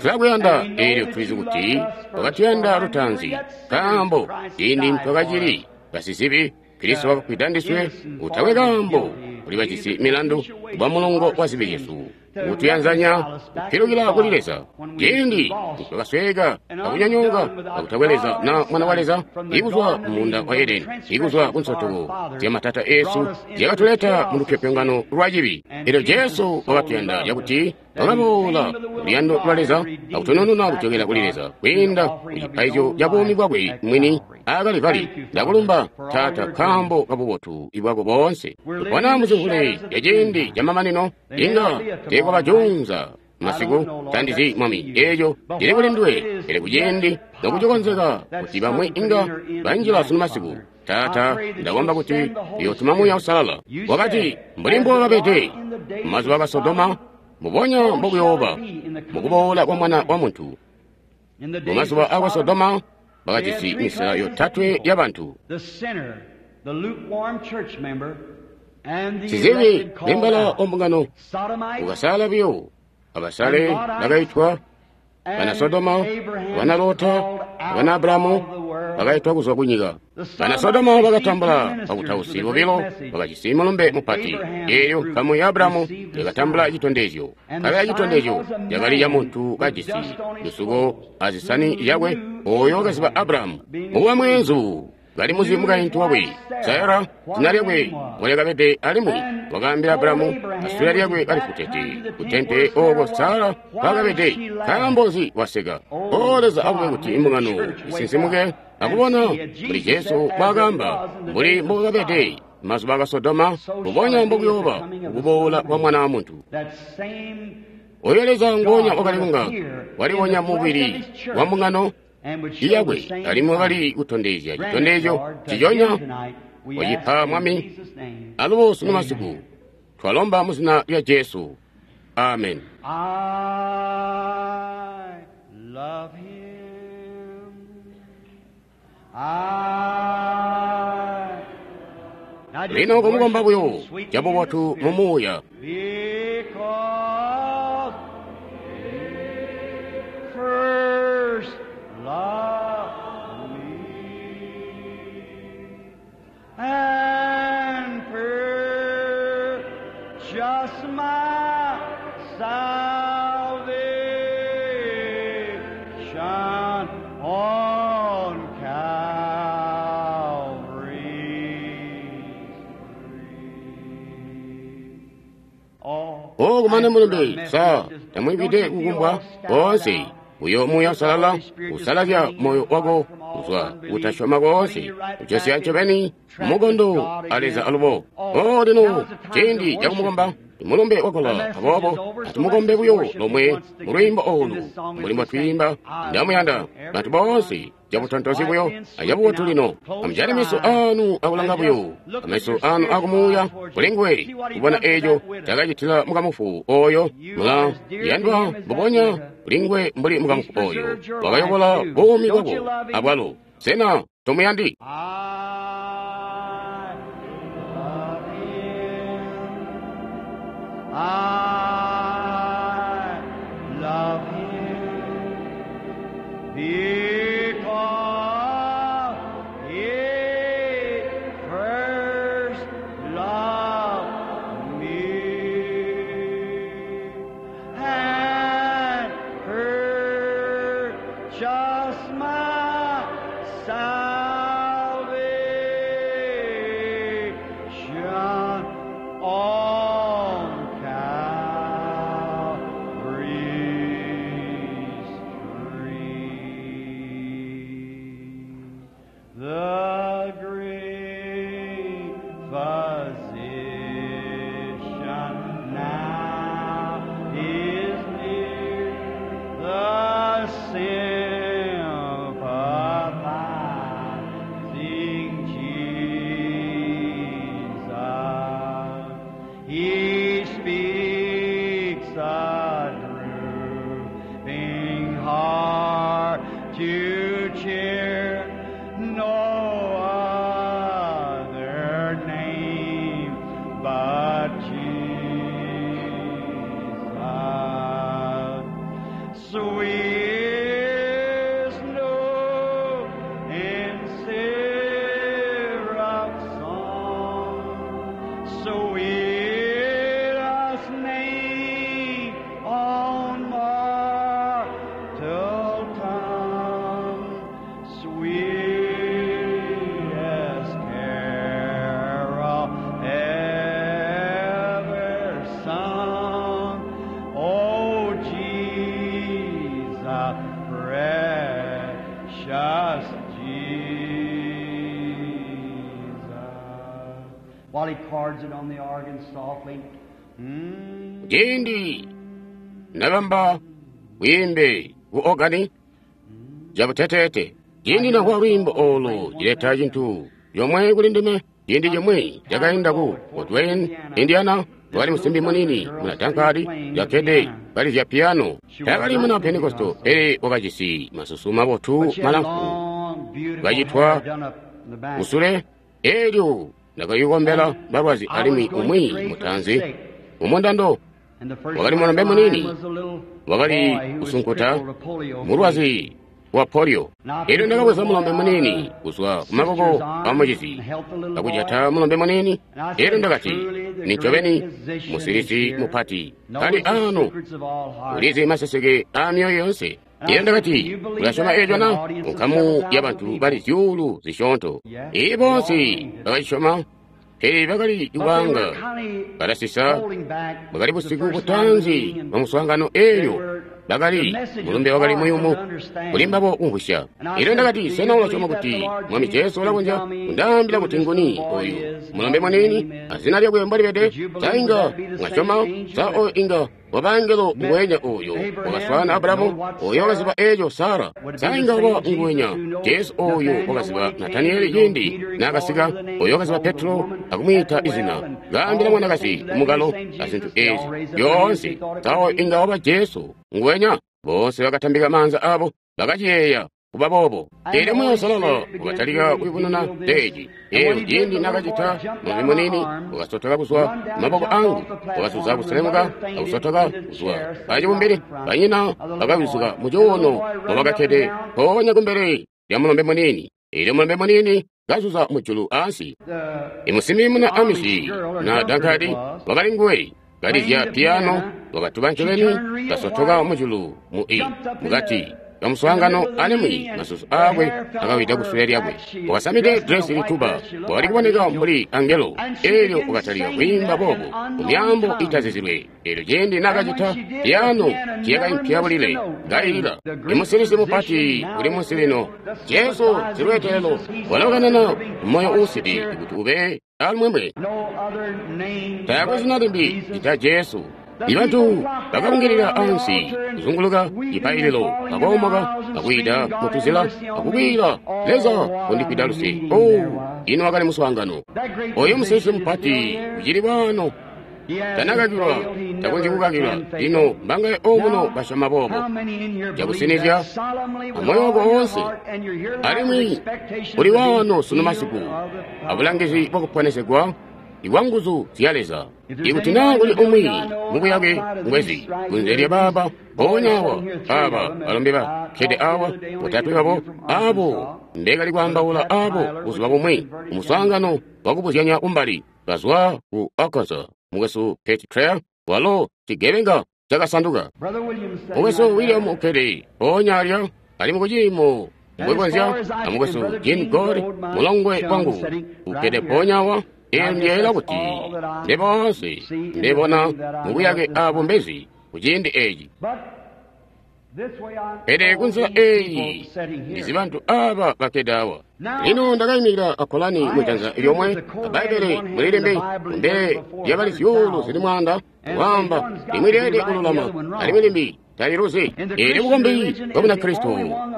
tulakuyanda, eelyo tulizi kuti wakatuyanda lutaanzi, nkaambo ciindi twakacili basizibi Kristo wakafwida ndiswe. Utakwe kaambo kuli bajisi milandu bwa mulongo wa zibi zyesu, kutuyanzanya kupilukila kuli Leza. Ciindi twakasweeka akunyonyooka akutakwe Leza na mwana wa Leza, ikuzwa munda wa Edeni, ikuzwa ku nsotoko zyamatata eesu zyakatuleta mu lupyopyongano lwa cibi. Elyo Jesu wakatuyanda cakuti wakaboola luyando lwa Leza akutunununa kucokela kuli Leza kwiinda ku cipaizyo ca buumi bwakwe mwini aakali. Ndakulumba Taata nkaambo kabubotu bwako boonse. Tupona muzimvule ya ciindi camamanino, inga teekwabajunza masiku tandizi Mwami eeco cili kuli nduwe, pele kuciindi nokucikonzeka kuti bamwi inga banjila sunu masiku. Taata, ndakomba kuti uyootuma Muuya Uusalala. Wakati mbuli mbokabede mumazuba ka Sodoma, mubonya mbokuyooba mukuboola kwa Mwana wa Muntu. Mumazuba akwa Sodoma bakajisi misela yotatwe y'abantu: sizibi membala wa mbungano ukasala biyo, abasale bakaitwa, bana Sodoma, bana Lota, bana Abrahamu bakaitwa kuzwa kunyika. Bana Sodoma bakatambula bakutausi bobilo bakajisi mulumbe mupati. Eelyo nkamu ya Abrahamu yakatambula citondezyo. Kabela citondezyo cakali ca muntu kajisi lusuko azisani zyakwe, oyo wakaziba Abrahamu mukuba mweenzu kali muzi mukaintu wakwe Sara, zina lyakwe mbolyakabede, alimwi wakaambila Abrahamu asula lyakwe kalifutete kutente ooko Sara mpaakabede. Nkaambo nzi waseka? O Leza, akube kuti imbungano isinsimuke akubona mbuli Jesu mbwaakaamba, mbuli mbokakabede mazuba aka Sodoma, mbubonya mbokuyooba kukuboola kwa Mwana wa Muntu. Oyo Leza ngonya wakali kunga walibonya mubili wa mbungano iyakwe, alimwi wakali kutondezya citondezyo ciconya wacipa Mwami. Alubo sunu masiku twalomba mu zina lya Jesu, amen. I love him. I Lino kumukomba buyo cabubotu mu muuya. Because he first loved me and purchased my salvation on Calvary's tree. Oh, O kumane mulumbe sa tamwipite kukumbwa konse uyo Muuya Usalala usalazya moyo wako kuzwa kutasyoma konse, kucesya ncobeni mukondo a Leza alubo. O lino ciindi cakumukomba mulumbe wakola, aboobo atumukombe buyo lomwe mu lwiimbo olu mbuli mbotwiimba ndamuyanda bantu boonse cabutontozi buyo acabubotu. Lino amujale meso anu akulanga buyo, ameso anu akumuuya kuli nguwe, kubona eeco cakacitila mukamufu oyo. Mula yandwa mbubonya kuli nguwe mbuli mukamufu oyo wakayokola buumi bwako abwalo. Sena tomuyandi? I love him. my salvation on Calvary's tree. The great physician now is near, the sympathizing Jesus. He speaks a drooping heart to cheer, no other name but Jesus. Sweet snow in syrup song, sweetest name on mortal tongue, sweetest carol ever sung. Oh, Jesus, precious Jesus. While he cards it on the organ softly. Mm. Ciindi nabamba bwiimbe ku organi jabuteteete ciindi nakuwa lwiimbo olu cileta cintu yomwe kuli ndime ciindi cimwi cakainda ku Fort Wayne, Indiana wakali musimbi munini muna tankadi jakkede kalizya piyano taakali muna Pentekosto pele wakajisi masusu mabotu But she had malamfu long, beautiful Bajitwa hair done up in the back. kusule elyo ndakayikombela balwazi alimwi umwi mutanzi mumundando And the first wakali one mulombe in line munini was a little wakali boy who was kusunkuta crippled with polio. mulwazi wa polio elyo ndakabweza mulombe munini kuzwa kumaboko a mucizi akujata mulombe munini elyo ndakati nincobeni musilisi mupati kali ano ulizi maseseke a myoyo yonse elyo ndakati ulasyoma eco na nkamu ya bantu bali zyuulu zisyoonto iyi bonse bakacisyoma pele bakali kubanga balasisa bwakali busiku butanzi bwa muswaangano elyo bakali mulumbe wakali muyumu kuli mbabo kumvwisya elyo ndakati sena ulasyoma kuti mwami jesu ulakonzya kundaambila kuti nguni oyu mulombe munini azina lyakwe mbwalibede sa inga mwasyoma sa oyo inga wabangelo nguwenya oyo wakaswaana abulahamu oyo wakaziba eco sara sa inga waba nguwenya jesu oyo wakaziba nataniyeli ciindi naakasika oyo wakaziba petro akumwiita izina kaambila mwanakazi kumukalo azintu ezi zyoonse sa oyo inga waba jesu nguwenya bonse bakatambika maanza abo bakaciyeeya kuba boobo elyo Muuya Uusalala wakatalika kuyubununa teeci eyo ciindi nakacita mulombe munini wakasotoka kuzwa mumaboko angu wakasuza kuselemuka akusotoka kuzwa pacibumbili banyina bakawizuka mucuuno mwabakakkede mpoonya kumbele lya mulombe munini elyo mulombe munini kazuza mujulu ansi The imusimbi muna amisi na dankadi wakali nguwe kalizya piyano wakatuba ncobeni kasotoka mujulu mu i mukati kamuswaangano alimwi masusu aakwe akawida kusule lyakwe wakasamide dresi lituba wakali kuboneka mbuli angelo elyo wakatalika kwiimba boobo mu myaambo itazizilwe elyo ciindi nakacita piyano ciyakaimpya bulile kailila imusilisi mupati uli munsi lino jesu silweetelelo walokanana moyo uusidi kuti ube alumwemwe no other name taakwe but zina limbi Jesus. lita jesu ibantu bakabungilila ansi kuzunguluka cipaililo bakoomoka akwiida mutuzila akukwiila leza kundikwida luse o ino wakali muswaangano That great oyo musilisi physician is mupati still here. ucili bwano He hasn't tanakakilwa failed, he takonzyi never kukakilwa can fail. lino mbangaye omuno Now, basyoma boobo how many in here believe Cakusinizya, that solemnly with amoyo all wako your wonse, heart and you're here tonight with alimwi expectation uli to be wano sunu healed masiku of the power abulangizi bwakuponesegwa ibwa nguzu zya leza If there's ikuti naa anybody kuli in the umwi building I know mubuyake outside of ngwezi this right kunze here, lya baaba these mpoonya boys awa sitting here, three aba of them, balombe and I bakkede talked the awa other day on botatwe an babo interview from abo Arkansas, mbekali kwaambaula Brother Pat abo Tyler, buzuba which is bumwi converted umuswaangano wakubuzyanya kumbali kazwa ku Arkansas mukwesu Pat Trail walo cigebenga cakasanduka Brother Williams sitting mukwesu right William there. ukkede mpoonya alya Alimwi kuciimo mbwekonzya amukwesu Gene Goad, mulongwe wangu ukkede mpoonya awa. Eyo ndiyeeyela kuti nde boonse ndebona mubuyake abumbezi kuciindi eci. Pele kunzila eyi ndizi bantu aba bakkede awa. Lino ndakayimikila akolani mujanza lyomwe, abbaibbele mulilembe kumbele lyabali zyuulu zili mwaanda, kwaamba limwi lyeelede kululama alimwi limbi taliluzi. Eelyo bukombi bwa Bunakristo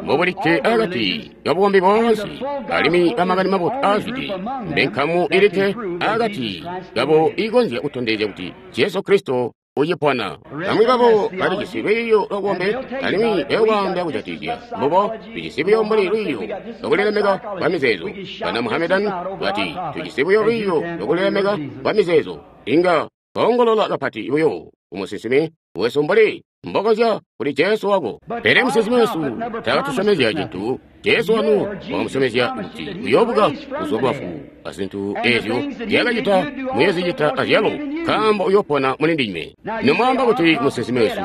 mbobulikke akati kabukombi boonse, alimwi bamakani mabotu aazwide mbe nkamu ilikke akati kabo iikonzya kutondezya kuti Jesu Kristo ucipona. Bamwi babo balijisi lwiiyo lwabukombi alimwi bayokwaamba kujatikizya mbubo tujisi buyo mbuli lwiiyo lwakulilemeka kwa mizeezo. Bana Muhammedan bati tujisi buyo lwiiyo lwakulilemeka kwa mizeezo. Inga baongolola kapati buyo kumusinsimi wesu mbuli mbokozya kuli Jesu wako. Pele musinsimi wesu taakatusyomezya cintu. Jesu wanu wakamusyomezya kuti uyoobuka kuzwa kubafu, azintu eezyo nzyaakacita muyoozicita azyalo, nkaambo uyoopona muli ndinywe. Nomwaamba kuti musinsimi wesu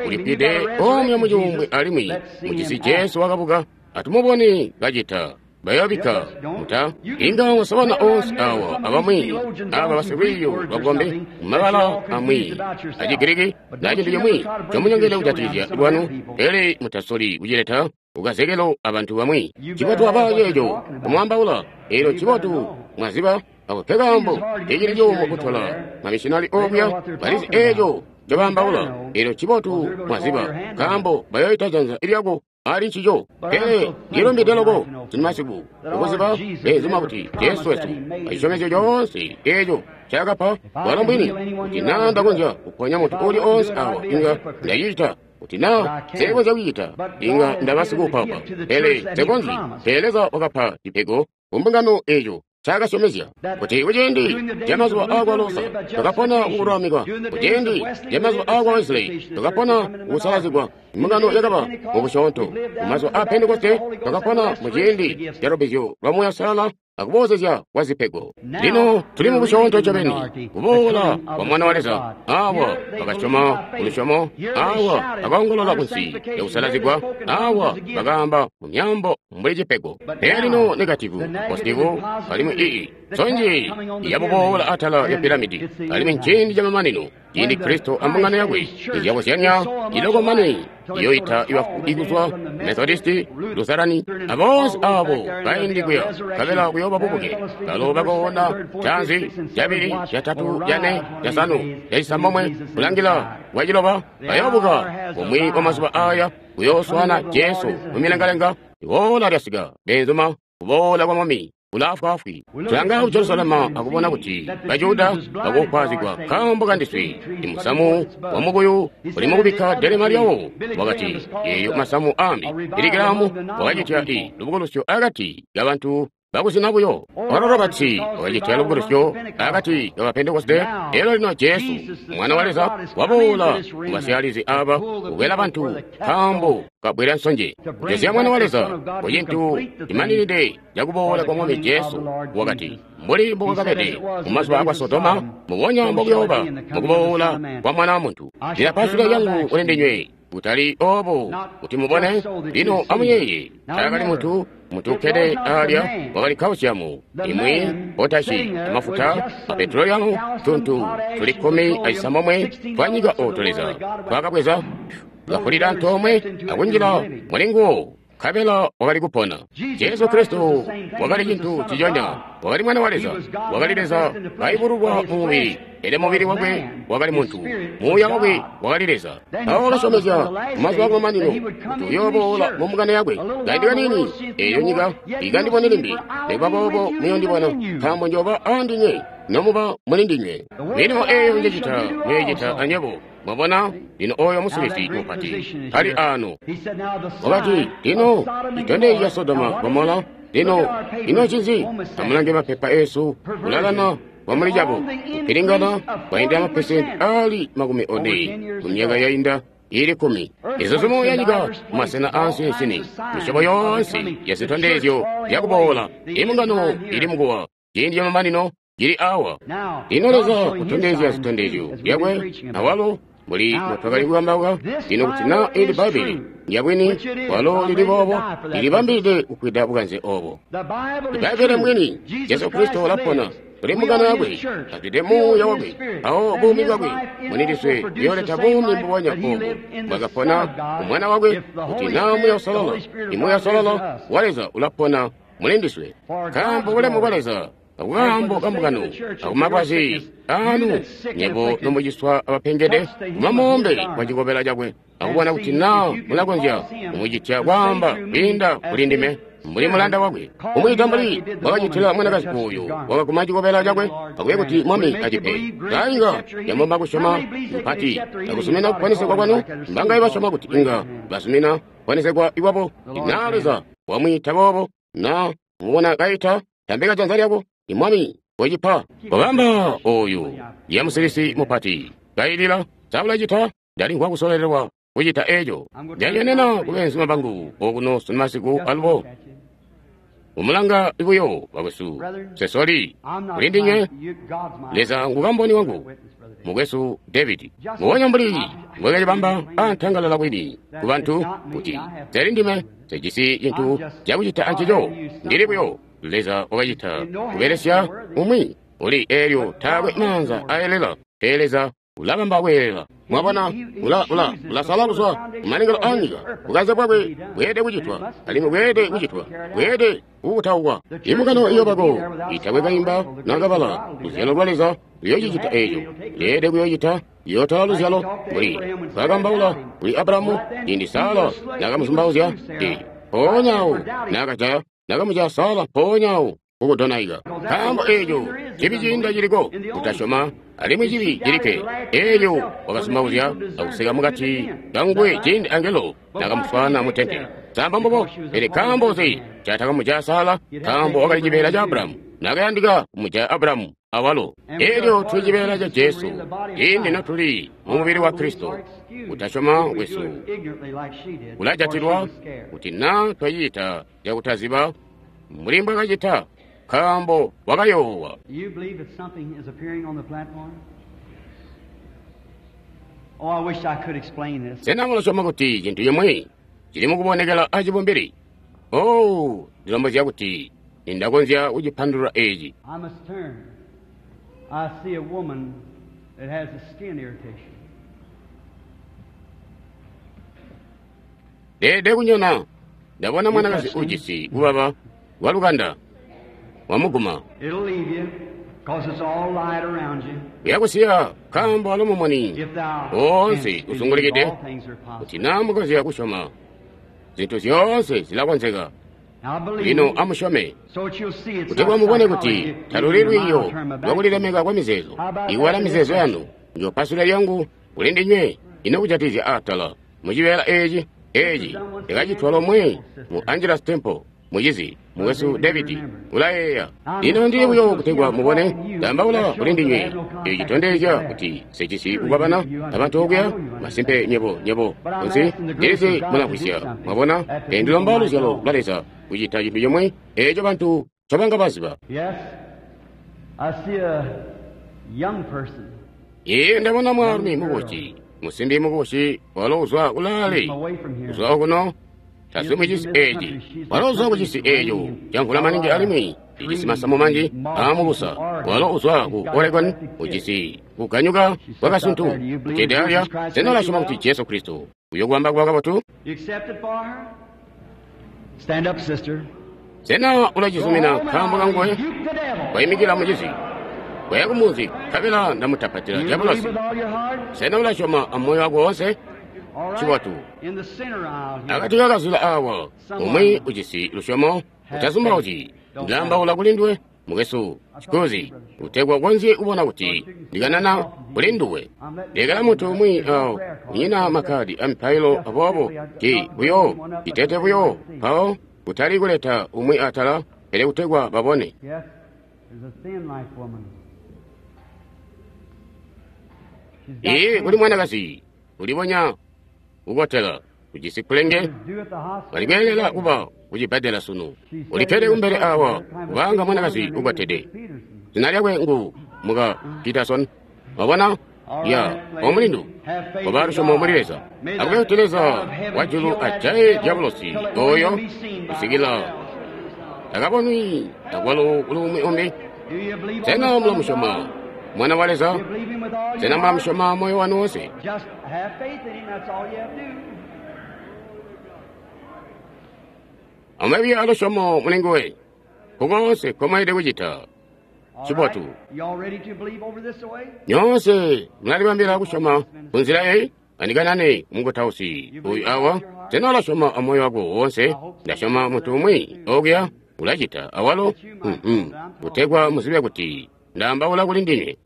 ulifwide omwe mucuumbwe alimwi mujisi Jesu wakabuka, atumubone kacita. Bayoobikka muta inga mwasabana oonse awa abamwi aba basilwiiyo lwabukombi mumabala amwi aci Giriki na cintu cimwi comunyongele kujatikizya lwanu, pele mutasoli kucileta kukazekelo abantu bamwi. Cibotu aba ceeco kumwaambaula, eelyo cibotu mwaziba ako nkekaambo ecili cuumu kutola mamishinali okuya balizi eeco ncobaambaula. Eelyo cibotu mwaziba, nkaambo bayoyita janza lyako ali ncico. Pele ndilumbide loko sinmasiku ukuziba beenzuma kuti Jesu wesu acisyomezyo coonse eeco ncaakapa walo mbwini. Kuti naa ndakonzya kuponya muntu uuli oonse awa, inga ndacicita. Kuti naa nsekonzya kucita, inga ndaba sikuupaupa. Pele nsekonzyi. Pele Leza wakapa cipego kumbungano eeco ncaakasyomezya, kuti kuciindi camazuba aakwa Luther twakapona kukululamikwa, kuciindi camazuba aakwa Wesley twakapona kukusalazigwa, imbungano yakaba mubusyoonto. Mumazuba aa Pentekoste twakapona muciindi ca lubbizyo lwa Muuya Uusalala akuboozezya kwa zipego. Lino tuli mubusyoonto ncobeni, kuboola kwa Mwana wa Leza. Awa bakasyoma kulusyomo, awa bakaongolola kunsi lyakusalazigwa, awa bakaamba mu myaambo mbuli cipego. Pele lino negativu, positivu, alimwi ii sonje yabuboola atala ya piramidi, alimwi nciindi camamanino, ciindi Kristo ambungano yakwe izyakuzyanya iloko mane iyoita ibafu ikuzwa Methodisti, Lutherani, aboonse abo baindi kuya nkabela kuyooba bubuke. Balo bakoona canzi cabili, catatu, cane, casanu, cacisambomwe, kulangila kwaciloba bayoobuka bumwi bwa mazuba aya kuyooswaana Jesu mumilengalenga. Iboola lyasika, beenzuma, kuboola kwa Mwami ulaafwaafwi. Tulanga ku Jerusalema akubona kuti Bajuda bakukwazigwa nkaambo kandiswe. Imusamu wa mukuyu uli mukubikka delema lyawo. Wakati eeyo masamu ambi Billy wakacitya i lubukulusyo akati kabantu bakuzina buyo. Oral Roberts wakacitya lubukulusyo akati kaba Pentekoste. Elyo lino Jesu Mwana wa Leza waboola mubasyalizi aba kukwela bantu nkaambo kabwela nsonje. Kujosya Mwana wa Leza kucintu cimaninide cakuboola kwa Mwami Jesu. Wakati mbuli mbukwakabede mumazuba akwa Sodoma, mubonya mbokuyooba mukuboola kwa Mwana wa Muntu. Ndilapasula lyangu kuli ndinywe, kutali obo kuti mubone. Lino amuyeeye, taakali muntu muntu ukkede alya wakali kausiamu imwi potashi amafuta a petroleamu tuntu tuli kkumi acisambomwe twanyika oto Leza twakabweza kafulila antoomwe akunjila mulinguwo, nkabela wakali kupona. Jesu Kristo wakali cintu ciconya, wakali Mwana wa Leza, wakali Leza kaibululwa mu mubili, pele mubili wakwe wakali muntu, muuya wakwe wakali Leza. Mpawo wakasyomezya mumazuba akumamanino kuti uyooboola mu mbungano yakwe. Kaindi kaniini eeyo nyika ikandibone limbi, nikuba boobo muyondibona, nkaambo njooba aandinywe nomuba muli ndinywe. Milimo eeyo njecita muyoicita anywebo. Mwabona lino oyo musilisi mupati kali ano. Wakati lino citondezyo ca Sodoma Gomola. Lino ino ncinzi? Amulange mapepa esu, kulalana kwamuli cabo, kupilingana kwainda mapesenti ali makumi one mu myaka yainda ili kkumi. Izuzumo yanyika mumasena aansinsini, misyobo yoonse ya zitondezyo zyakuboola. Imbungano ili mukuwa, ciindi camamanino cili awa. Lino Leza kutondezya zitondezyo zyakwe awalo Mbuli mbotwakali kukambauka, lino kuti na ili Bbaibbele lyabwini, walo lili boobo, lilibambilide kufwida bukanze obo. Bbaibbele mbwini, Jesu Kristo ulapona. Tuli mbungano yakwe, azwide Muuya wakwe, awo buumi bwakwe munidiswe buyooleta buumi mbubonya obo bwakapona umwana wakwe, kuti na Muuya Uusalala, iMuuya Uusalala wa Leza ulapona mulindiswe. Nkaambo bulemu bwa Leza akukaambo kambungano akumakwazi anu nyebo nomuciswa abapengede kumamoombe kwa cikobela cakwe akubona kuti na mulakonzya kumucitya kwaamba kwiinda kuli ndime mbuli mulanda wakwe kumwiita mbuli wakacitila mwanakazi uyu wakaguma cikobela cakwe akuye kuti mwami acipe kainga yamomba kusyoma mpati akusumina kuponesegwa kwanu mbangaye basyoma kuti inga basumina kuponesegwa ikwabo na Leza wamwiita boobo na mubona kaita tambika janza lyako imwami wecipa kobamba oyu yamusilisi mupati kailila saulacita ndalimvwa kusolelelwa kucita eco ndalyenena kubeenzuma bangu okuno sunu masiku alubo umulanga buyo bakwesu sesoli kuli ndinywe Leza ngukamboni wangu mukwesu David muwonya mbuli mbwekacibamba antangalala kwini ku bantu kuti seli ndime sejisi cintu cakucita ancico ndili buyo Leza wakacita kubelesya umwi uli eelyo taakwe maanza aelela pele Leza ulabamba kweelela mwabona ula ula ulasala kuzwa kumalengelo anyika bukanze bwakwe bweede kucitwa alimwi bweede kucitwa bweede kukutaukwa imbungano iyobako itakwe kaimba nakabala luzyalo lwa Leza luyocicita eco leede kuyocita yotola luzyalo mbuli bwakambaula kuli Abrahamu ciindi Sara nakamuzumbauzya e mpoonya nakajaya nakamujaya Sara mpoonya kukudonaika nkaambo eco cibi ciinda ciliko kutasyoma alimwi cibi cilikke eelyo wakazumbauzya akusika mukati kanguwe ciindi angelo nakamuswaana mutente samba mbubo pele nkaambo nzi catakamujaya Sara nkaambo wakali cibeela ca Abrahamu nakayandika kumujaya Abrahamu awalo eelyo tuli cibeela ca Jesu ciindi notuli mu mubili wa Kristo kutasyoma kwesu kulajatilwa kuti na twacita cakutaziba mbuli mbwakacita nkaambo wakayoowa. Sena mulasyoma kuti cintu cimwi cili mukubonekela acibumbili? Oh, ndilombozya kuti nindakonzya kucipandulula eci. Ndeede kunyona ndabona mwanakazi ujisi kubaba walukanda wamuguma uyakusiya nkaambo alo mumuni woonse uzungulikide kuti na mukonzya kusyoma zintu zyoonse zilakonzeka lino amusyome kutegwa mubone kuti taluli lwiiyo lwakulilemeka kwa mizeezo iwala mizeezo yanu njopasula lyangu kuli ndinywe ino kujatizya atala mucibeela eci eci ndakacitwa lomwe mu Angelus Temple mucizi mukwesu David ulayeeya lino ndili buyo kutegwa mubone ndambaula kuli ndinywe eco citondezya kuti sicisi kukwabana abantu okuya masimpe nyebo nyebo kunsi ndilizi mulamvwisya mwabona pele ndilomba luzyalo lwa Leza kucita cintu cimwi eco bantu ncobanga baziba. Iye ndabona mwaalumi mukubusi musimbi mukubusi walo uzwa kulaale uzwa okuno tazwi mucisi eci walo uzwa kucisi eco camvula maningi alimwi cijisi masamu manji aamubusa walo uzwa ku Oregon ujisi kuganyuka kwakasuntu kucede alya sena ulasyoma kuti Jesu Kristo uyokubamba kuba kabotu? Sena ulacizumina nkaambo kanguwe? Waimikila mucizi waya kumunzi nkabela ndamutapatila diabolosi. Sena ulasyoma amoyo wako woonse? Cibotu. Akati kakazula awa umwi ujisi lusyomo utazumbauzyi ndilaambaula kuli nduwe mukwesu cikuzi kutegwa ukonzye kubona kuti ndikanana kuli nduwe. Lekela muntu umwi awo unyina makkadi amipailo aboobo ti buyo itete buyo mpawo kutali kuleta umwi atala pele kutegwa babone. Iye kuli mwanakazi ulibonya kukotela ujisi kulenge walikweelela kuba kucibbadela sunu ulikkede kumbele awa kubanga mwanakazi ukotede zina lyakwe ngu muka Peterson. Wabona Ya omulindu koba lusyomo muli Leza. Akube kuti Leza wajulu ajaye dyabulosi oyo kusikila takabonwi akwalo kuli umwi umbi. Sena mulamusyoma Mwana wa Leza? Sena mulamusyoma moyo wanu wonse? Amube alusyomo muli nguwe kukoonse nkomweelede kucita. Cibotu. Nyoonse mulalibambila kusyoma kunzila eyi? Andikanane mukutausi uyu awa. Sena ulasyoma amoyo wako woonse? Ndasyoma muntu umwi okuya ulacita awalo, kutegwa muzibe kuti ndaambaula kuli ndinywe.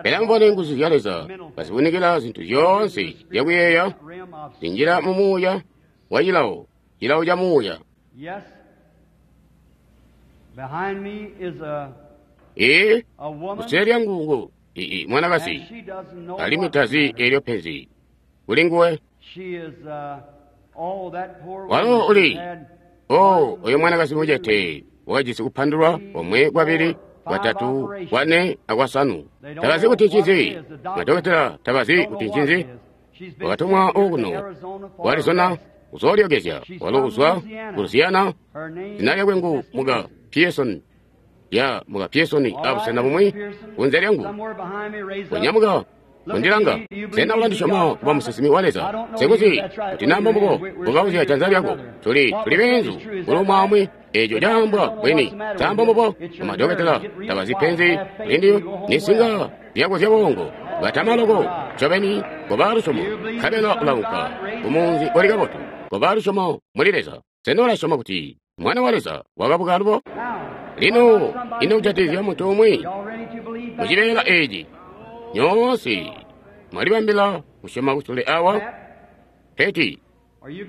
Pele amubone nguzu zya Leza kazivunikila zintu zyoonse zyakuyeeya zinjila mu muuya wa cilawo, cilawo ca muuya. Ee, kusule lyangu ngu ii mwanakazi, alimwi tazi eelyo penzi kuli nguwe. Walo uli oh, oyo mwanakazi mucete wakajisi kupandulwa komwe, kwabili, kwatatu, kwane akwasanu. Tabazi kuti ncinzi. Madokotela tabazi kuti ncinzi. Wakatumwa okuno ku Arizona kuzoolyokezya. Walo uzwa ku Louisiana. Zina lyakwe ngu muka Pearson. Ya muka Pearson abusena bumwi kunze lyangu. Konyamuka kundilanga. Sena ulandisyoma kuba musinsimi wa Leza? Sikuzi kuti namba mbubo kukauzya janza lyako. Tuli tuli beenzu kuli umwi eeco caambwa bwini. Caamba mbubo amadokotela tabazi penzi lindi nisinga lyako zyabongo. Batama loko ncobeni koba lusyomo nkabela ulaunka kumunzi uli kabotu. Koba lusyomo muli Leza. Sena ulasyoma kuti Mwana wa Leza wakabuka alubo? Lino ino kujatikizya muntu umwi mucibeela eeci? Nyoonse mwalibambila kusyoma kusule awa? Peti,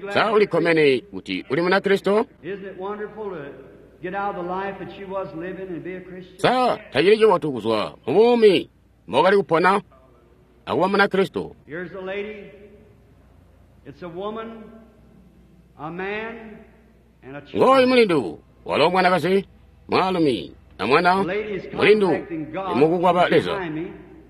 sa ulikkomene kuti uli Munakristo? Sa tacili cibotu kuzwa mu buumi mbokali kupona akuba Munakristo? Ngooyu mulindu, walo mwanakazi, mwaalumi amwana. Mulindu imukukwaba Leza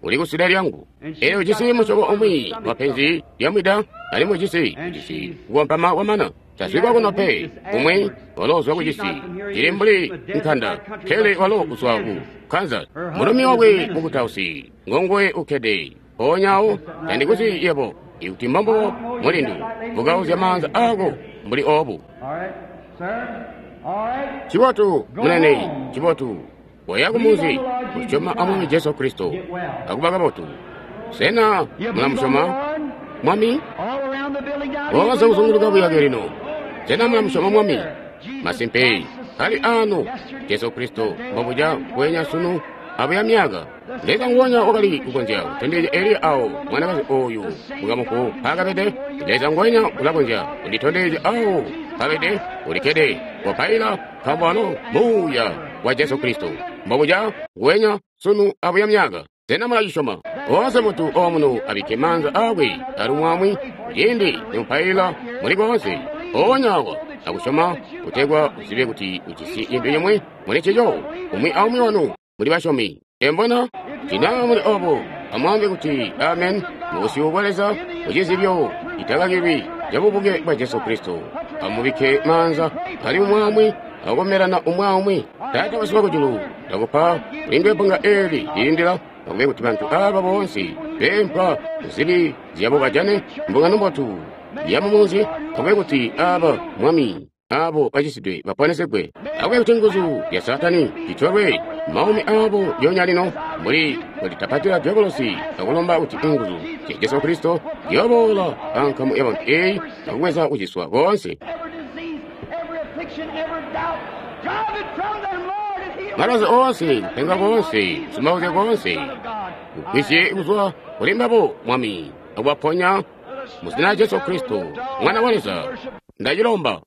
uli kusule lyangu. Eyo ujisi musyobo umwi wa penzi lyamwida, alimwi ujisi ujisi kukompama kwamana. Tazwikwa kuno pe. Umwi walo uzwa kucisi cili mbuli nkanda, pele walo uzwa ku Kansas. Mulumi wakwe mukutausi ngonguwe ukkede mpoonya tandikuzi yebo. Ikuti mbombubo mulindu, vukauzya maanza ako mbuli obu. Cibotu munene, cibotu. Koya kumunzi kusyoma amwami Jesu Kristo akuba kabotu. Sena mulamusyoma Mwami? Woonse kuzunguluka buyake lino. Sena mulamusyoma Mwami? Masimpe ali ano Jesu Kristo mbobuca bwenya sunu abuya myaka. Leza nguwonya wakali kukonzya kutondezya Eliya awo mwanakazi oyu mukamufu mpaakabede. Leza nguwonya ulakonzya kunditondezya awo mpaabede. Ulikkede wapaila nkaambo walo muuya wa Jesu Kristo mbobuca nguwenya sunu abuya myaka. Sena mulacisyoma? Woonse muntu omuno abikke maanza aakwe alumwamwi ciindi nimupaila muli koonse mpoonya awa akusyoma kutegwa uzibe kuti ujisi cintu cimwi muli ncico. Umwi aumwi wanu muli basyomi. Embona tina muli obo amwaambe kuti amen mubusyu bwa Leza mucizibyo citakakilwi cabubuke bwa Jesu Kristo. Amubikke maanza ali umwamwi akukomerana umwi aumwi. Taata wesu wakujulu, ndakupa kulindwe bbunga eeli lilindila akube kuti bantu aaba boonse beempwa kuzibi zyabo bajane mbungano mbotu yamumunzi. Akube kuti aaba Mwami abo bacisidwe baponesegwe. Akube kuti nguzu zya Saatani zitolwe maumi aabo lyonya lino mbuli kulitapatila dyabolosi akulomba kuti inguzu zya Jesu Kristo ziyoboola ankamu yabantu eeyi akubweza kuciswa koonse. Malwazi oonse, kupenga koonse, kusumauzya koonse, kugwisye kuzwa kuli mbabo Mwami, akubaponya mu zina lya Jesu Kristo, Mwana wa Leza. Ndacilomba.